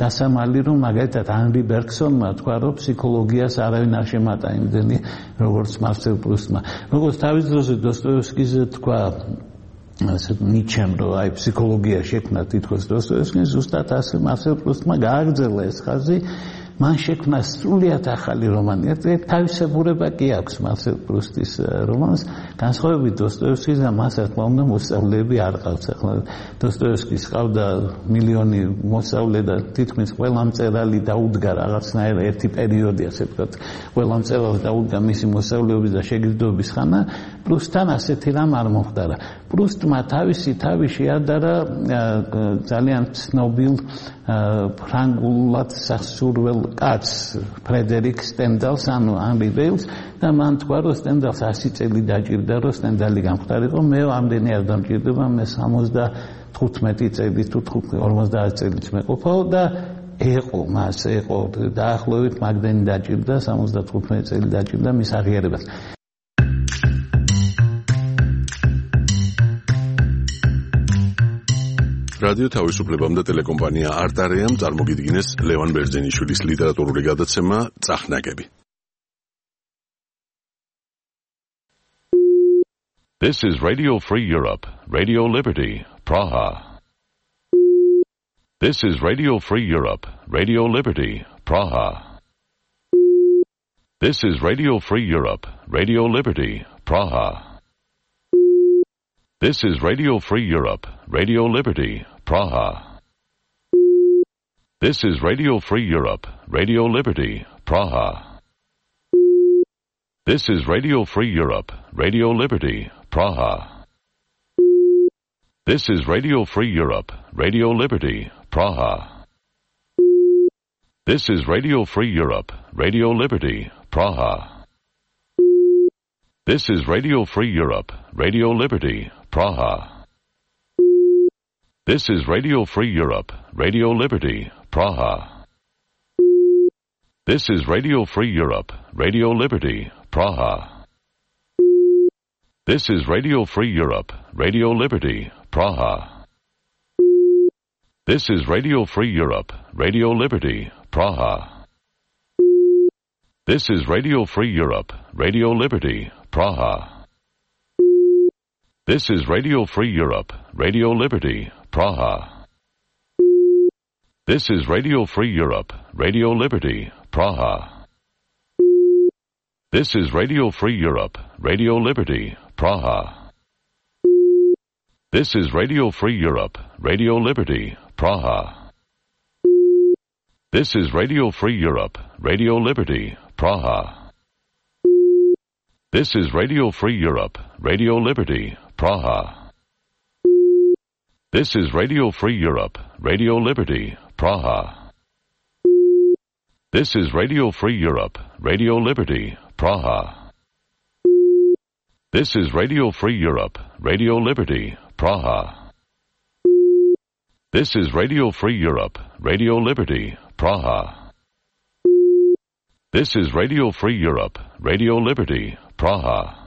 დასამალი, რომ მაგალითად ანრი ბერგსონმა თქვა, რომ ფსიქოლოგიას არავინ არ შემატა იმდენი, როგორც მარსელ პრუსტმა. როგორც თავის დროზე დოსტოევსკიზე თქვა ნიჩემ, რომ აი ფსიქოლოგია შექმნა თითქოს დოსტოევსკიმ, ზუსტად ასე მარსელ პრუსტმა გააგრძელა ეს ხაზი, მან შექმნა სრულიად ახალი რომანი. თავისებურება კი აქვს მარსელ პრუსტის რომანს, განსხვავებით დოსტოევსკისგან, მას რა თქმა უნდა მოსწავლეები არ ყავს. ახლა დოსტოევსკის ყავდა მილიონი მოსწავლე და თითქმის ყველა მწერალი დაუდგა რაღაცნაირ ერთი პერიოდი, ასე ვთქვათ, ყველა მწერალს დაუდგა მისი მოსწავლეობის და შეგრძნების ხანა. პრუსტთან ასეთი რამ არ მოხდარა. პრუსტმა თავისი თავი შეადარა ძალიან ცნობილ ფრანგულად სასურველ კაცს ფრედერიკ სტენდალს, ანუ ანრი ვეილს, და მან თქვა, რომ სტენდალს 100 წელი დაჭირდა, რომ სტენდალი გამხდარიყო. მე ამდენი არ დამჭირდება, მე 75 წელი თუ 50 წელიც მეყოფაო და ეყო დაახლოებით მაგდენი დაჭირდა, 75 წელი დაჭირდა მის აღიარებას. რადიო თავისუფლებამ და ტელეკომპანია არტარეამ წარმოგიდგინეს ლევან ბერძენიშვილის ლიტერატურული გადაცემა წახნაგები. This is Radio Free Europe, Radio Liberty, Praha. This is Radio Free Europe, Radio Liberty, Praha. This is Radio Free Europe, Radio Liberty, Praha. This is Radio Free Europe, Radio Liberty, Praha. This is Radio Free Europe, Radio Liberty, Praha. This is Radio Free Europe, Radio Liberty, Praha. This is Radio Free Europe, Radio Liberty, Praha. This is Radio Free Europe, Radio Liberty, Praha. This is Radio Free Europe, Radio Liberty, Praha. This is Radio Free Europe, Radio Liberty, Praha. This is Radio Free Europe, Radio Liberty, Praha. This is Radio Free Europe, Radio Liberty, Praha. This is Radio Free Europe, Radio Liberty, Praha. This is Radio Free Europe, Radio Liberty, Praha. This is Radio Free Europe, Radio Liberty, Praha. This is Radio Free Europe, Radio Liberty, Praha. This is Radio Free Europe, Radio Liberty, Praha. This is Radio Free Europe, Radio Liberty, Praha. This is Radio Free Europe, Radio Liberty, Praha. This is Radio Free Europe, Radio Liberty, Praha. This is Radio Free Europe, Radio Liberty, Praha. This is Radio Free Europe, Radio Liberty, Praha. This is Radio Free Europe, Radio Liberty, Praha. This is Radio Free Europe, Radio Liberty, Praha.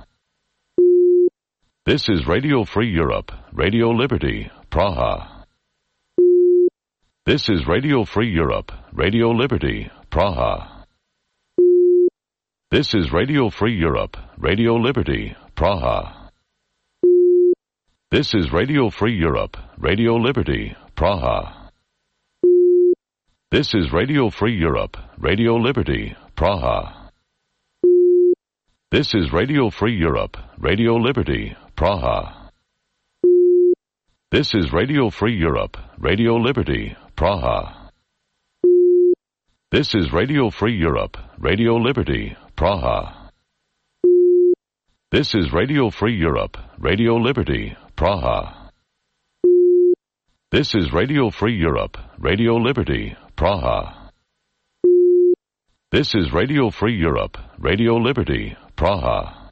This is Radio Free Europe, Radio Liberty, Praha. This is Radio Free Europe, Radio Liberty, Praha. This is Radio Free Europe, Radio Liberty, Praha. This is Radio Free Europe, Radio Liberty, Praha. This is Radio Free Europe, Radio Liberty, Praha. This is Radio Free Europe, Radio Liberty, Praha. This is Radio Free Europe, Radio Liberty, Praha. This is Radio Free Europe, Radio Liberty, Praha. This is Radio Free Europe, Radio Liberty, Praha. This is Radio Free Europe, Radio Liberty, Praha. This is Radio Free Europe, Radio Liberty, Praha. This is Radio Free Europe, Radio Liberty, Praha.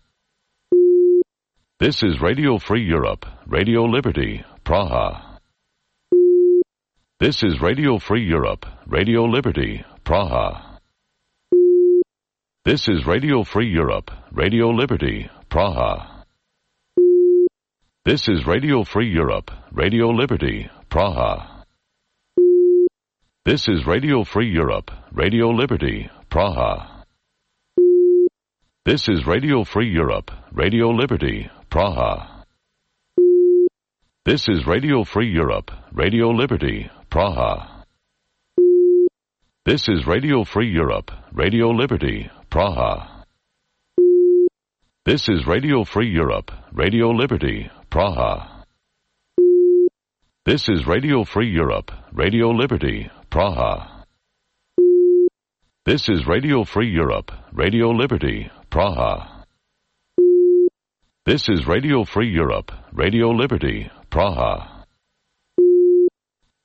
This is Radio Free Europe, Radio Liberty, Praha. This is Radio Free Europe, Radio Liberty, Praha. This is Radio Free Europe, Radio Liberty, Praha. This is Radio Free Europe, Radio Liberty, Praha. This is Radio Free Europe, Radio Liberty, Praha. This is Radio Free Europe, Radio Liberty, Praha. This is Radio Free Europe, Radio Liberty, Praha. This is Radio Free Europe, Radio Liberty, Praha. This is Radio Free Europe, Radio Liberty, Praha. This is Radio Free Europe, Radio Liberty, Praha. This is Radio Free Europe, Radio Liberty, Praha. This is Radio Free Europe, Radio Liberty, Praha.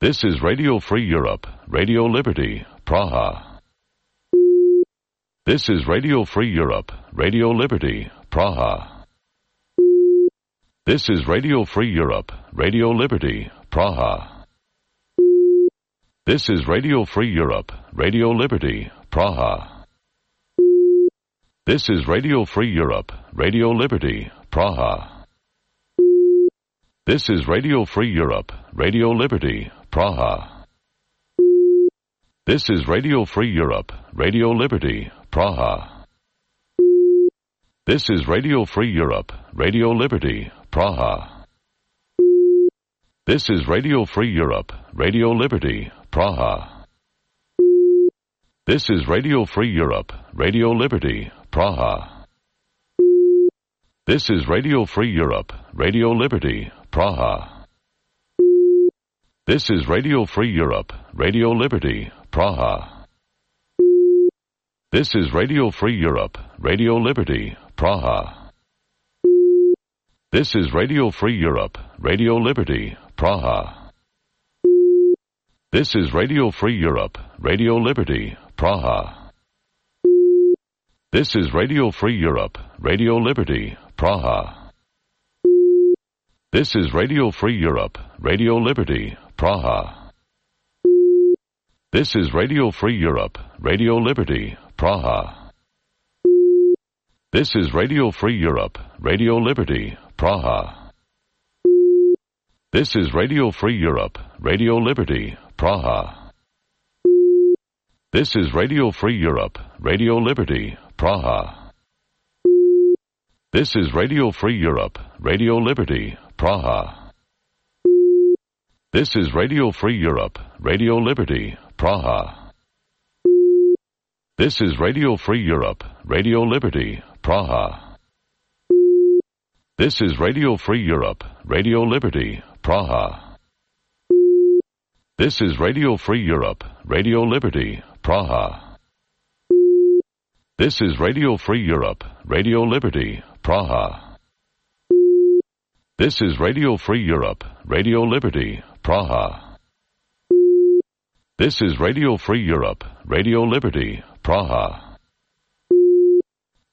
This is Radio Free Europe, Radio Liberty, Praha. This is Radio Free Europe, Radio Liberty, Praha. This is Radio Free Europe, Radio Liberty, Praha. This is Radio Free Europe, Radio Liberty, Praha. This is Radio Free Europe, Radio Liberty, Praha. This is Radio Free Europe, Radio Liberty, Praha. This is Radio Free Europe, Radio Liberty, Praha. This is Radio Free Europe, Radio Liberty, Praha. This is Radio Free Europe, Radio Liberty, Praha. This is Radio Free Europe, Radio Liberty, Praha. This is Radio Free Europe, Radio Liberty, Praha. This is Radio Free Europe, Radio Liberty, Praha. This is Radio Free Europe, Radio Liberty, Praha. This is Radio Free Europe, Radio Liberty, Praha. This is Radio Free Europe, Radio Liberty, Praha. This is Radio Free Europe, Radio Liberty, Praha. This is Radio Free Europe, Radio Liberty, Praha. This is Radio Free Europe, Radio Liberty, Praha. This is Radio Free Europe, Radio Liberty, Praha. This is Radio Free Europe, Radio Liberty, Praha. This is Radio Free Europe, Radio Liberty, Praha. This is Radio Free Europe, Radio Liberty, Praha. This is Radio Free Europe, Radio Liberty, Praha. This is Radio Free Europe, Radio Liberty, Praha. This is Radio Free Europe, Radio Liberty, Praha. This is Radio Free Europe, Radio Liberty, Praha. This is Radio Free Europe, Radio Liberty, Praha. This is Radio Free Europe, Radio Liberty, Praha. This is Radio Free Europe, Radio Liberty, Praha.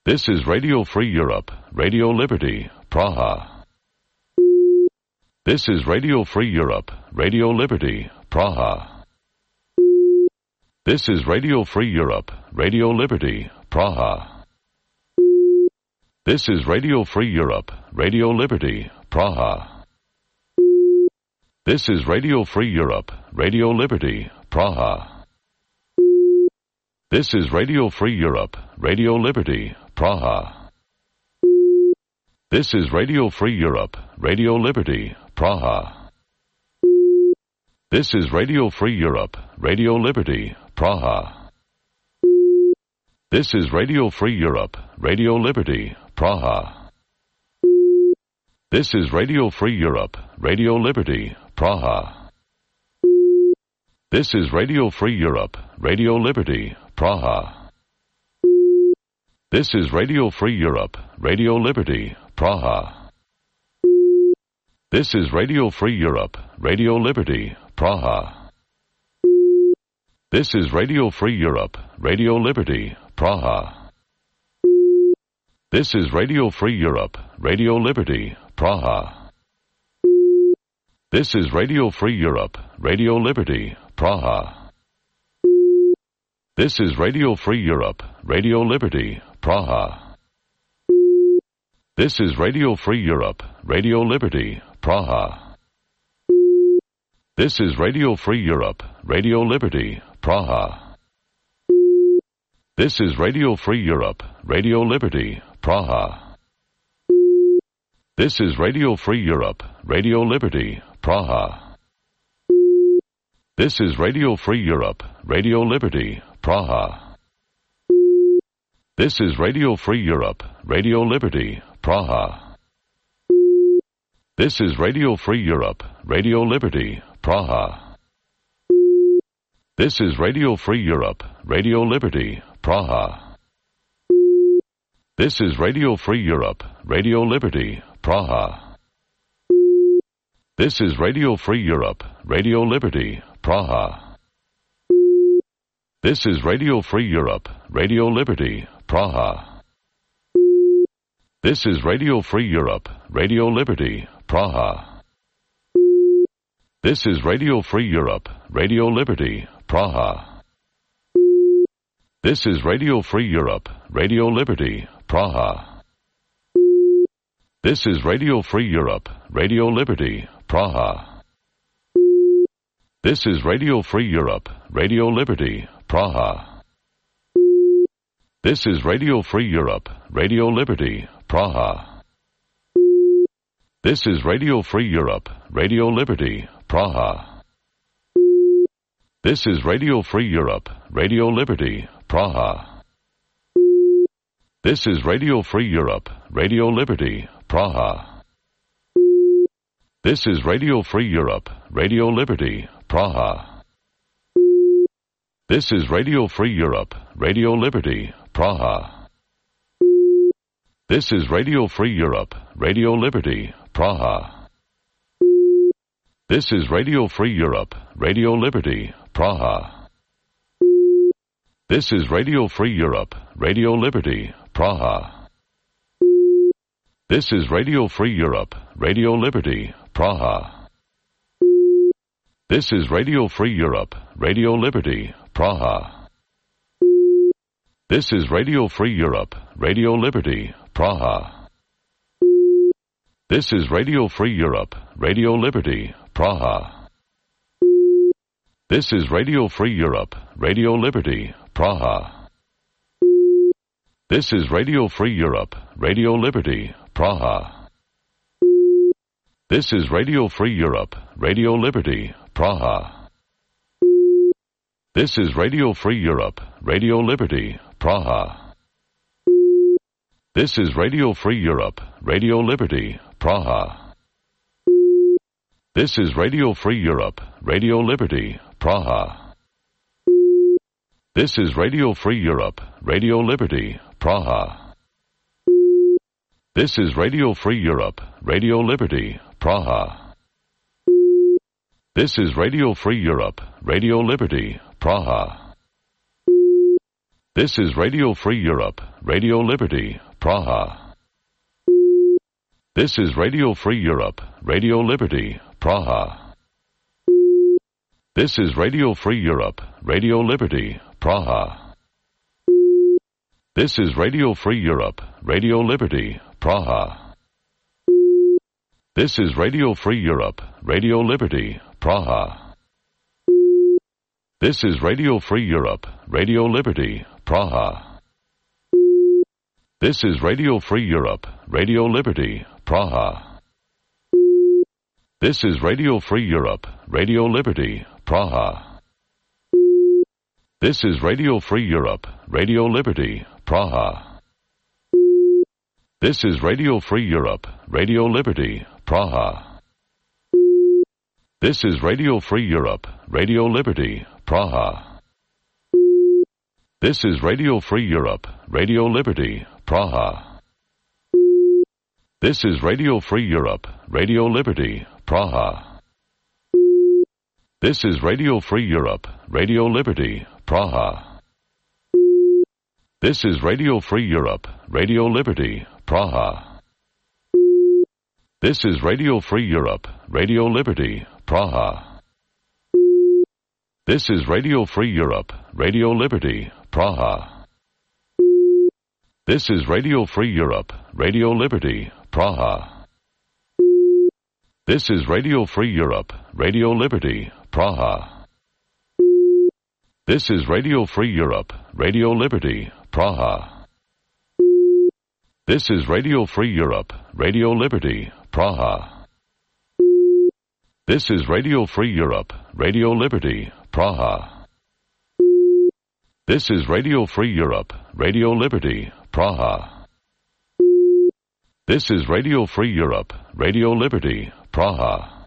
This is Radio Free Europe, Radio Liberty, Praha. This is Radio Free Europe, Radio Liberty, Praha. This is Radio Free Europe, Radio Liberty, Praha. This is Radio Free Europe, Radio Liberty, Praha. This is Radio Free Europe, Radio Liberty, Praha. This is Radio Free Europe, Radio Liberty, Praha. This is Radio Free Europe, Radio Liberty, Praha. This is Radio Free Europe, Radio Liberty, Praha. This is Radio Free Europe, Radio Liberty, Praha. This is Radio Free Europe, Radio Liberty, Praha. This is Radio Free Europe, Radio Liberty, Praha. This is Radio Free Europe, Radio Liberty, Praha. This is Radio Free Europe, Radio Liberty, Praha. This is Radio Free Europe, Radio Liberty, Praha. This is Radio Free Europe, Radio Liberty, Praha. This is Radio Free Europe, Radio Liberty, Praha. This is Radio Free Europe, Radio Liberty, Praha. This is Radio Free Europe, Radio Liberty, Praha. This is Radio Free Europe, Radio Liberty, Praha. This is Radio Free Europe, Radio Liberty, Praha. This is Radio Free Europe, Radio Liberty, Praha. This is Radio Free Europe, Radio Liberty, Praha. This is Radio Free Europe, Radio Liberty, Praha. This is Radio Free Europe, Radio Liberty, Praha. This is Radio Free Europe, Radio Liberty, Praha. This is Radio Free Europe, Radio Liberty, Praha. This is Radio Free Europe, Radio Liberty, Praha. This is Radio Free Europe, Radio Liberty, Praha. This is Radio Free Europe, Radio Liberty, Praha. This is Radio Free Europe, Radio Liberty, Praha. This is Radio Free Europe, Radio Liberty, Praha. This is Radio Free Europe, Radio Liberty, Praha. This is Radio Free Europe, Radio Liberty, Praha. This is Radio Free Europe, Radio Liberty, Praha. This is Radio Free Europe, Radio Liberty, Praha. This is Radio Free Europe, Radio Liberty, Praha. This is Radio Free Europe, Radio Liberty, Praha. This is Radio Free Europe, Radio Liberty, Praha. This is Radio Free Europe, Radio Liberty, Praha. This is Radio Free Europe, Radio Liberty, Praha. This is Radio Free Europe, Radio Liberty, Praha. This is Radio Free Europe, Radio Liberty, Praha. This is Radio Free Europe, Radio Liberty, Praha. This is Radio Free Europe, Radio Liberty, Praha. This is Radio Free Europe, Radio Liberty, Praha. This is Radio Free Europe, Radio Liberty, Praha. This is Radio Free Europe, Radio Liberty, Praha. This is Radio Free Europe, Radio Liberty, Praha. This is Radio Free Europe, Radio Liberty, Praha. This is Radio Free Europe, Radio Liberty, Praha. This is Radio Free Europe, Radio Liberty, Praha. This is Radio Free Europe, Radio Liberty, Praha. This is Radio Free Europe, Radio Liberty, Praha. This is Radio Free Europe, Radio Liberty, Praha. This is Radio Free Europe, Radio Liberty, Praha. This is Radio Free Europe, Radio Liberty, Praha. This is Radio Free Europe, Radio Liberty, Praha. This is Radio Free Europe, Radio Liberty, Praha. This is Radio Free Europe, Radio Liberty, Praha. This is Radio Free Europe, Radio Liberty, Praha. This is Radio Free Europe, Radio Liberty, Praha. This is Radio Free Europe, Radio Liberty, Praha. This is Radio Free Europe, Radio Liberty, Praha. This is Radio Free Europe, Radio Liberty, Praha. This is Radio Free Europe, Radio Liberty, Praha. This is Radio Free Europe, Radio Liberty, Praha. This is Radio Free Europe, Radio Liberty, Praha. This is Radio Free Europe, Radio Liberty, Praha. This is Radio Free Europe, Radio Liberty, Praha. This is Radio Free Europe, Radio Liberty, Praha. This is Radio Free Europe, Radio Liberty, Praha. This is Radio Free Europe, Radio Liberty, Praha. This is Radio Free Europe, Radio Liberty, Praha. This is Radio Free Europe, Radio Liberty, Praha. This is Radio Free Europe, Radio Liberty, Praha. This is Radio Free Europe, Radio Liberty, Praha. This is Radio Free Europe, Radio Liberty, Praha. This is Radio Free Europe, Radio Liberty, Praha. This is Radio Free Europe, Radio Liberty, Praha.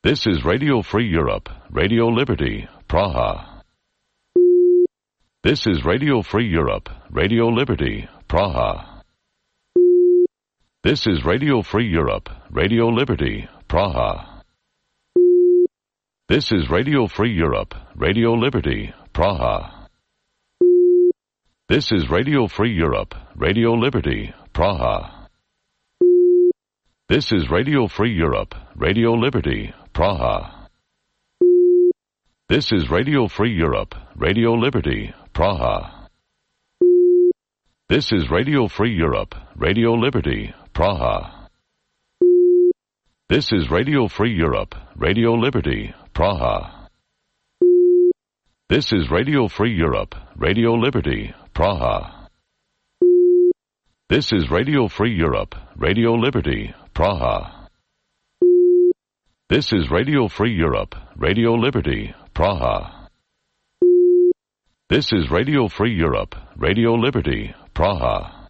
This is Radio Free Europe, Radio Liberty, Praha. This is Radio Free Europe, Radio Liberty, Praha. This is Radio Free Europe, Radio Liberty, Praha. This is Radio Free Europe, Radio Liberty, Praha. This is Radio Free Europe, Radio Liberty, Praha. This is Radio Free Europe, Radio Liberty, Praha. This is Radio Free Europe, Radio Liberty, Praha. This is Radio Free Europe, Radio Liberty, Praha. This is Radio Free Europe, Radio Liberty, Praha. This is Radio Free Europe, Radio Liberty, Praha. This is Radio Free Europe, Radio Liberty, Praha. This is Radio Free Europe, Radio Liberty, Praha. This is Radio Free Europe, Radio Liberty, Praha.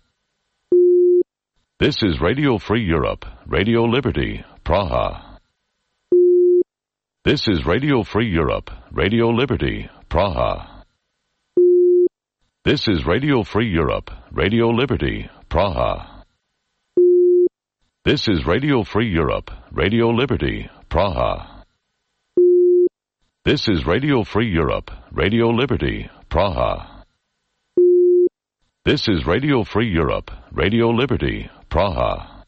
This is Radio Free Europe, Radio Liberty, Praha. This is Radio Free Europe, Radio Liberty, Praha. This is Radio Free Europe, Radio Liberty, Praha. This is Radio Free Europe, Radio Liberty, Praha. This is Radio Free Europe, Radio Liberty, Praha. This is Radio Free Europe, Radio Liberty, Praha.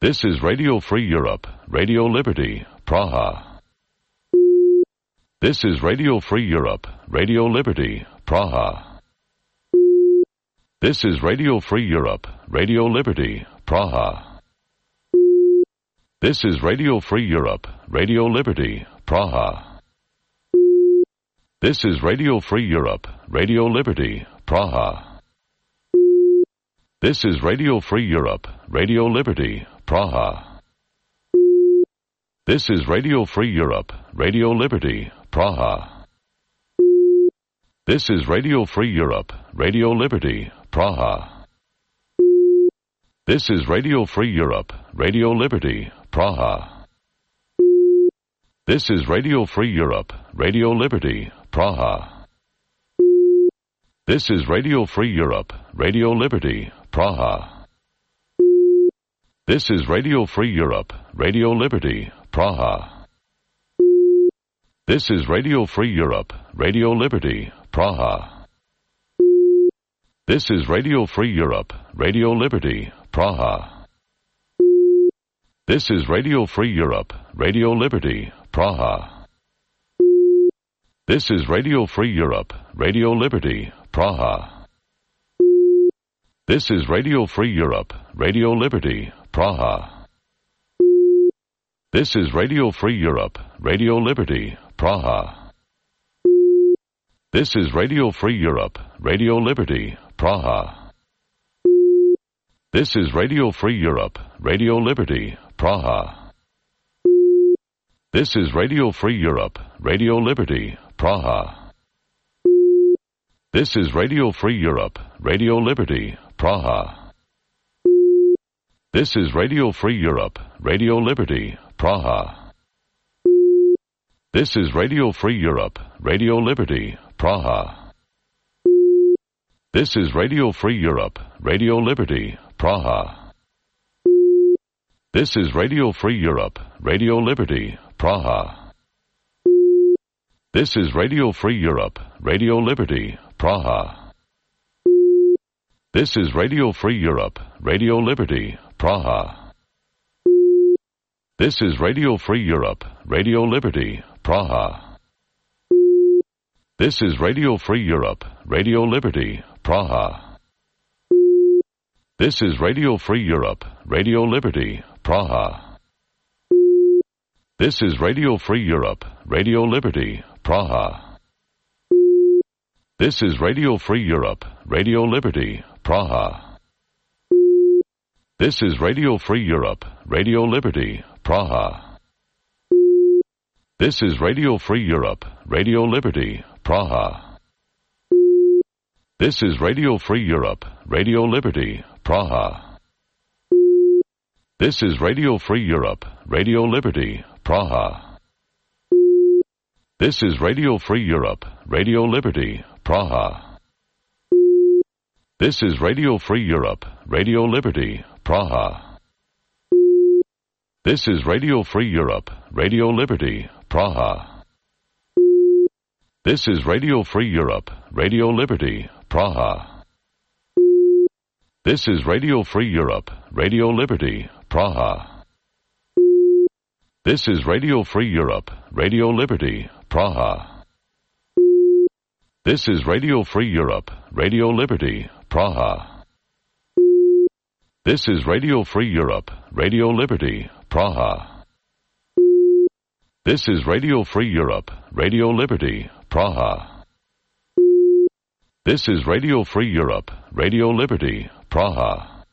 This is Radio Free Europe, Radio Liberty, Praha. This is Radio Free Europe, Radio Liberty, Praha. This is Radio Free Europe, Radio Liberty, Praha. This is Radio Free Europe, Radio Liberty, Praha. This is Radio Free Europe, Radio Liberty, Praha. This is Radio Free Europe, Radio Liberty, Praha. This is Radio Free Europe, Radio Liberty, Praha. This is Radio Free Europe, Radio Liberty, Praha. This is Radio Free Europe, Radio Liberty, Praha. This is Radio Free Europe, Radio Liberty, Praha. This is Radio Free Europe, Radio Liberty, Praha. This is Radio Free Europe, Radio Liberty, Praha. This is Radio Free Europe, Radio Liberty, Praha. This is Radio Free Europe, Radio Liberty, Praha. This is Radio Free Europe, Radio Liberty, Praha. This is Radio Free Europe, Radio Liberty, Praha. This is Radio Free Europe, Radio Liberty, Praha. This is Radio Free Europe, Radio Liberty, Praha. This is Radio Free Europe, Radio Liberty, Praha. This is Radio Free Europe, Radio Liberty, Praha. This is Radio Free Europe, Radio Liberty, Praha. This is Radio Free Europe, Radio Liberty, Praha. This is Radio Free Europe, Radio Liberty, Praha. This is Radio Free Europe, Radio Liberty, Praha. This is Radio Free Europe, Radio Liberty, Praha. This is Radio Free Europe, Radio Liberty, Praha. This is Radio Free Europe, Radio Liberty, Praha. This is Radio Free Europe, Radio Liberty, Praha. This is Radio Free Europe, Radio Liberty, Praha. This is Radio Free Europe, Radio Liberty, Praha. This is Radio Free Europe, Radio Liberty, Praha. This is Radio Free Europe, Radio Liberty, Praha. This is Radio Free Europe, Radio Liberty, Praha. This is Radio Free Europe, Radio Liberty, Praha. This is Radio Free Europe, Radio Liberty, Praha. This is Radio Free Europe, Radio Liberty, Praha. This is Radio Free Europe, Radio Liberty, Praha. This is Radio Free Europe, Radio Liberty, Praha. This is Radio Free Europe, Radio Liberty, Praha. This is Radio Free Europe, Radio Liberty, Praha. This is Radio Free Europe, Radio Liberty, Praha. This is Radio Free Europe, Radio Liberty, Praha. This is Radio Free Europe, Radio Liberty, Praha. This is Radio Free Europe, Radio Liberty, Praha. This is Radio Free Europe, Radio Liberty, Praha. This is Radio Free Europe, Radio Liberty, Praha. This is Radio Free Europe, Radio Liberty, Praha.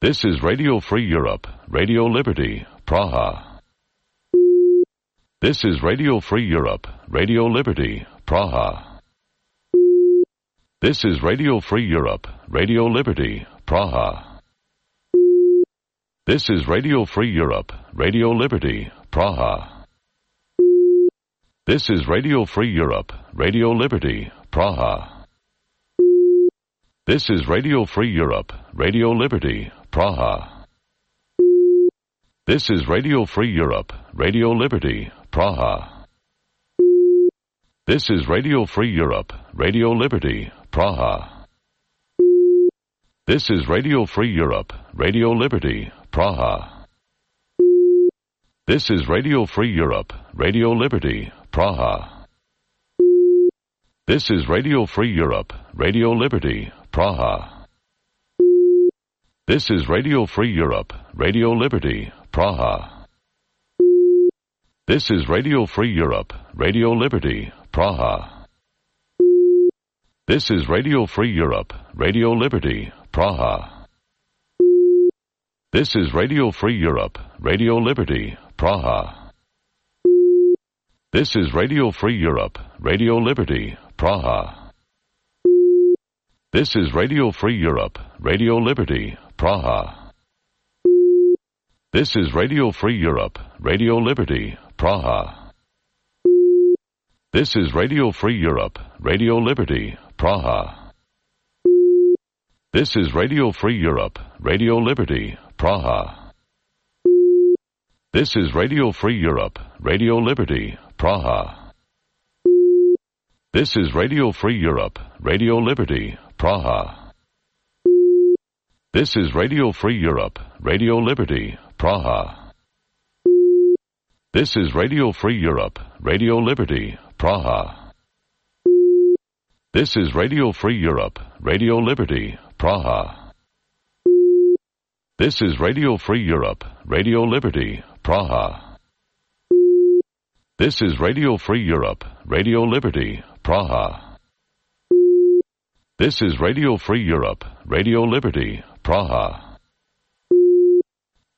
This is Radio Free Europe, Radio Liberty, Praha. This is Radio Free Europe, Radio Liberty, Praha. This is Radio Free Europe, Radio Liberty, Praha. This is Radio Free Europe, Radio Liberty, Praha. This is Radio Free Europe, Radio Liberty, Praha. This is Radio Free Europe, Radio Liberty, Praha. This is Radio Free Europe, Radio Liberty, Praha. This is Radio Free Europe, Radio Liberty, Praha. This is Radio Free Europe, Radio Liberty, Praha. This is Radio Free Europe, Radio Liberty, Praha. This is Radio Free Europe, Radio Liberty, Praha. This is Radio Free Europe, Radio Liberty, Praha. This is Radio Free Europe, Radio Liberty, Praha. This is Radio Free Europe, Radio Liberty, Praha. This is Radio Free Europe, Radio Liberty, Praha. This is Radio Free Europe, Radio Liberty, Praha. This is Radio Free Europe, Radio Liberty, Praha. This is Radio Free Europe, Radio Liberty, Praha. This is Radio Free Europe, Radio Liberty, Praha. This is Radio Free Europe, Radio Liberty, Praha. This is Radio Free Europe, Radio Liberty, Praha. This is Radio Free Europe, Radio Liberty, Praha. This is Radio Free Europe, Radio Liberty, Praha. This is Radio Free Europe, Radio Liberty, Praha. This is Radio Free Europe, Radio Liberty, Praha. This is Radio Free Europe, Radio Liberty, Praha. This is Radio Free Europe, Radio Liberty, Praha. This is Radio Free Europe, Radio Liberty, Praha.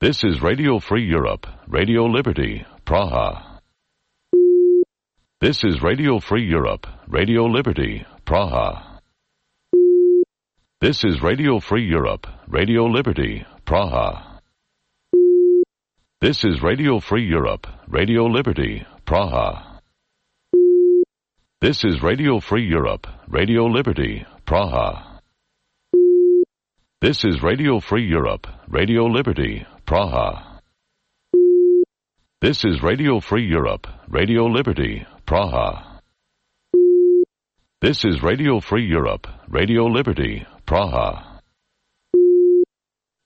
This is Radio Free Europe, Radio Liberty, Praha. This is Radio Free Europe, Radio Liberty, Praha. This is Radio Free Europe, Radio Liberty, Praha. This is Radio Free Europe, Radio Liberty, Praha. This is Radio Free Europe, Radio Liberty, Praha. This is Radio Free Europe, Radio Liberty, Praha. This is Radio Free Europe, Radio Liberty, Praha. This is Radio Free Europe, Radio Liberty, Praha.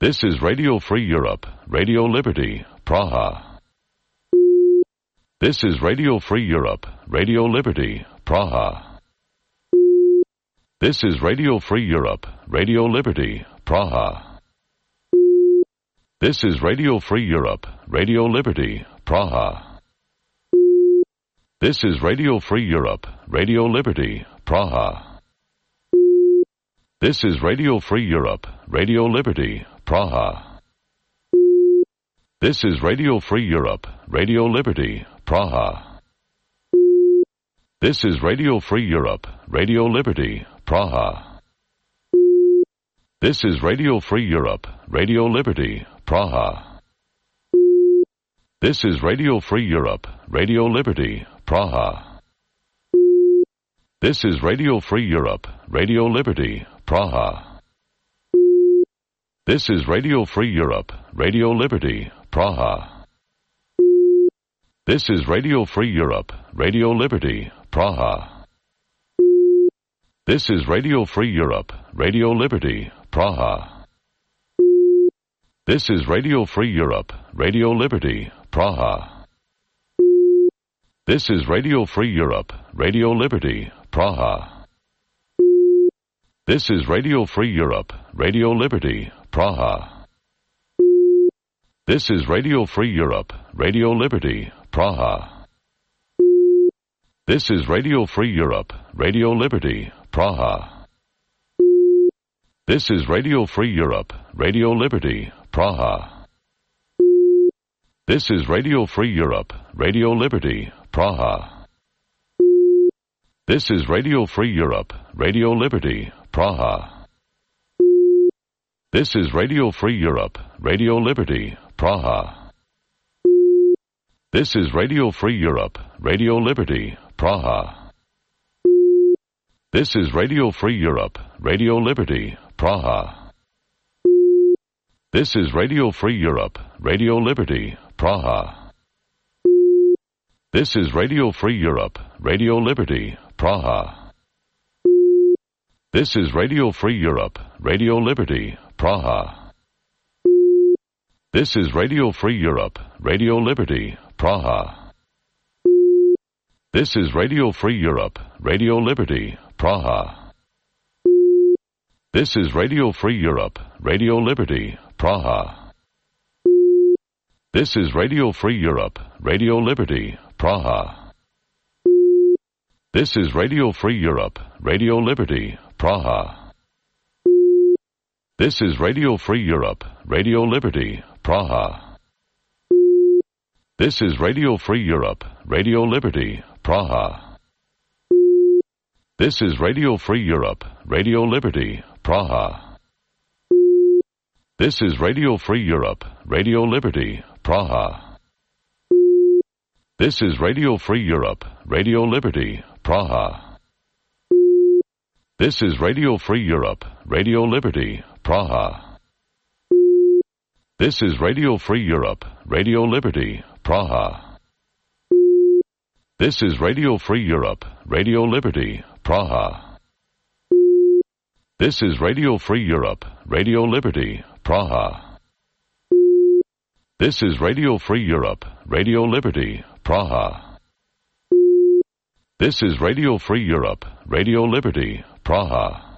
This is Radio Free Europe, Radio Liberty, Praha. This is Radio Free Europe, Radio Liberty, Praha. This is Radio Free Europe, Radio Liberty, Praha. This is Radio Free Europe, Radio Liberty, Praha. This is Radio Free Europe, Radio Liberty, Praha. This is Radio Free Europe, Radio Liberty, Praha. This is Radio Free Europe, Radio Liberty, Praha. This is Radio Free Europe, Radio Liberty, Praha. This is Radio Free Europe, Radio Liberty, Praha. This is Radio Free Europe, Radio Liberty, Praha. This is Radio Free Europe, Radio Liberty, Praha. This is Radio Free Europe, Radio Liberty, Praha. This is Radio Free Europe, Radio Liberty, Praha. This is Radio Free Europe, Radio Liberty, Praha. This is Radio Free Europe, Radio Liberty, Praha. This is Radio Free Europe, Radio Liberty, Praha. This is Radio Free Europe, Radio Liberty, Praha. This is Radio Free Europe, Radio Liberty, Praha. This is Radio Free Europe, Radio Liberty, Praha. This is Radio Free Europe, Radio Liberty, Praha. This is Radio Free Europe, Radio Liberty, Praha. This is Radio Free Europe, Radio Liberty, Praha. This is Radio Free Europe, Radio Liberty, Praha. This is Radio Free Europe, Radio Liberty, Praha. This is Radio Free Europe, Radio Liberty, Praha. This is Radio Free Europe, Radio Liberty, Praha. This is Radio Free Europe, Radio Liberty, Praha. This is Radio Free Europe, Radio Liberty, Praha. This is Radio Free Europe, Radio Liberty, Praha. This is Radio Free Europe, Radio Liberty, Praha. This is Radio Free Europe, Radio Liberty, Praha. This is Radio Free Europe, Radio Liberty, Praha. This is Radio Free Europe, Radio Liberty, Praha. This is Radio Free Europe, Radio Liberty, Praha. This is Radio Free Europe, Radio Liberty, Praha. This is Radio Free Europe, Radio Liberty, Praha. This is Radio Free Europe, Radio Liberty, Praha. This is Radio Free Europe, Radio Liberty, Praha. This is Radio Free Europe, Radio Liberty, Praha. This is Radio Free Europe, Radio Liberty, Praha. This is Radio Free Europe, Radio Liberty, Praha. This is Radio Free Europe, Radio Liberty, Praha. This is Radio Free Europe, Radio Liberty, Praha. This is Radio Free Europe, Radio Liberty, Praha.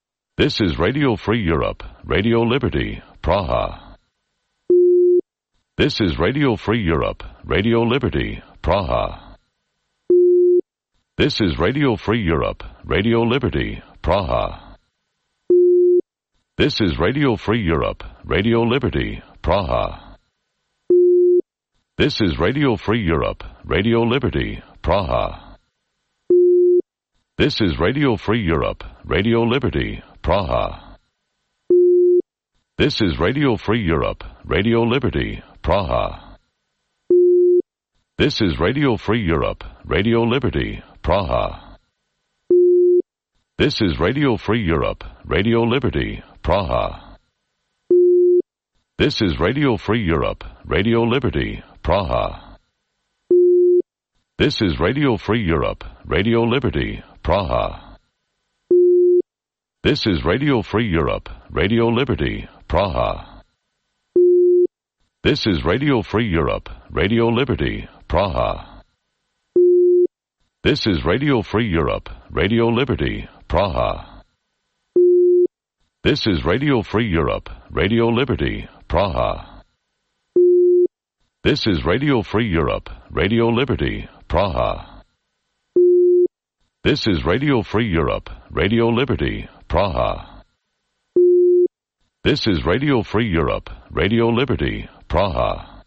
This is Radio Free Europe, Radio Liberty, Praha. This is Radio Free Europe, Radio Liberty, Praha. This is Radio Free Europe, Radio Liberty, Praha. This is Radio Free Europe, Radio Liberty, Praha. This is Radio Free Europe, Radio Liberty, Praha. This is Radio Free Europe, Radio Liberty, Praha. This is Radio Free Europe, Radio Liberty, Praha. This is Radio Free Europe, Radio Liberty, Praha. This is Radio Free Europe, Radio Liberty, Praha. This is Radio Free Europe, Radio Liberty, Praha. This is Radio Free Europe, Radio Liberty, Praha. This is Radio Free Europe, Radio Liberty, Praha. This is Radio Free Europe, Radio Liberty, Praha. This is Radio Free Europe, Radio Liberty, Praha. This is Radio Free Europe, Radio Liberty, Praha. This is Radio Free Europe, Radio Liberty, Praha. This is Radio Free Europe, Radio Liberty, Praha. This is Radio Free Europe, Radio Liberty, Praha.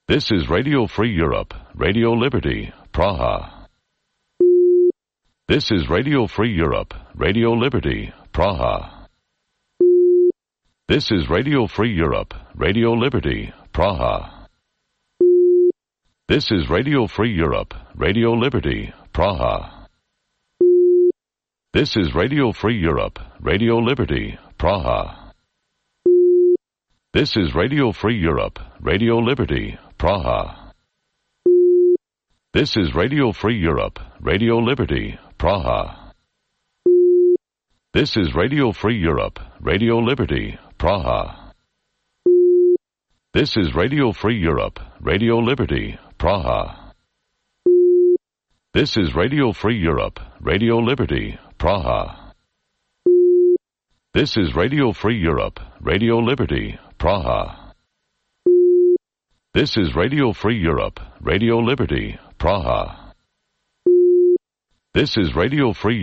This is Radio Free Europe, Radio Liberty, Praha. This is Radio Free Europe, Radio Liberty, Praha. This is Radio Free Europe, Radio Liberty, Praha. This is Radio Free Europe, Radio Liberty, Praha. This is Radio Free Europe, Radio Liberty, Praha. This is Radio Free Europe, Radio Liberty, Praha. This is Radio Free Europe, Radio Liberty, Praha. This is Radio Free Europe, Radio Liberty, Praha. This is Radio Free Europe, Radio Liberty, Praha. This is Radio Free Europe, Radio Liberty, Praha. This is Radio Free Europe, Radio Liberty, Praha. This is Radio Free Europe, Radio Liberty, Praha. This is Radio Free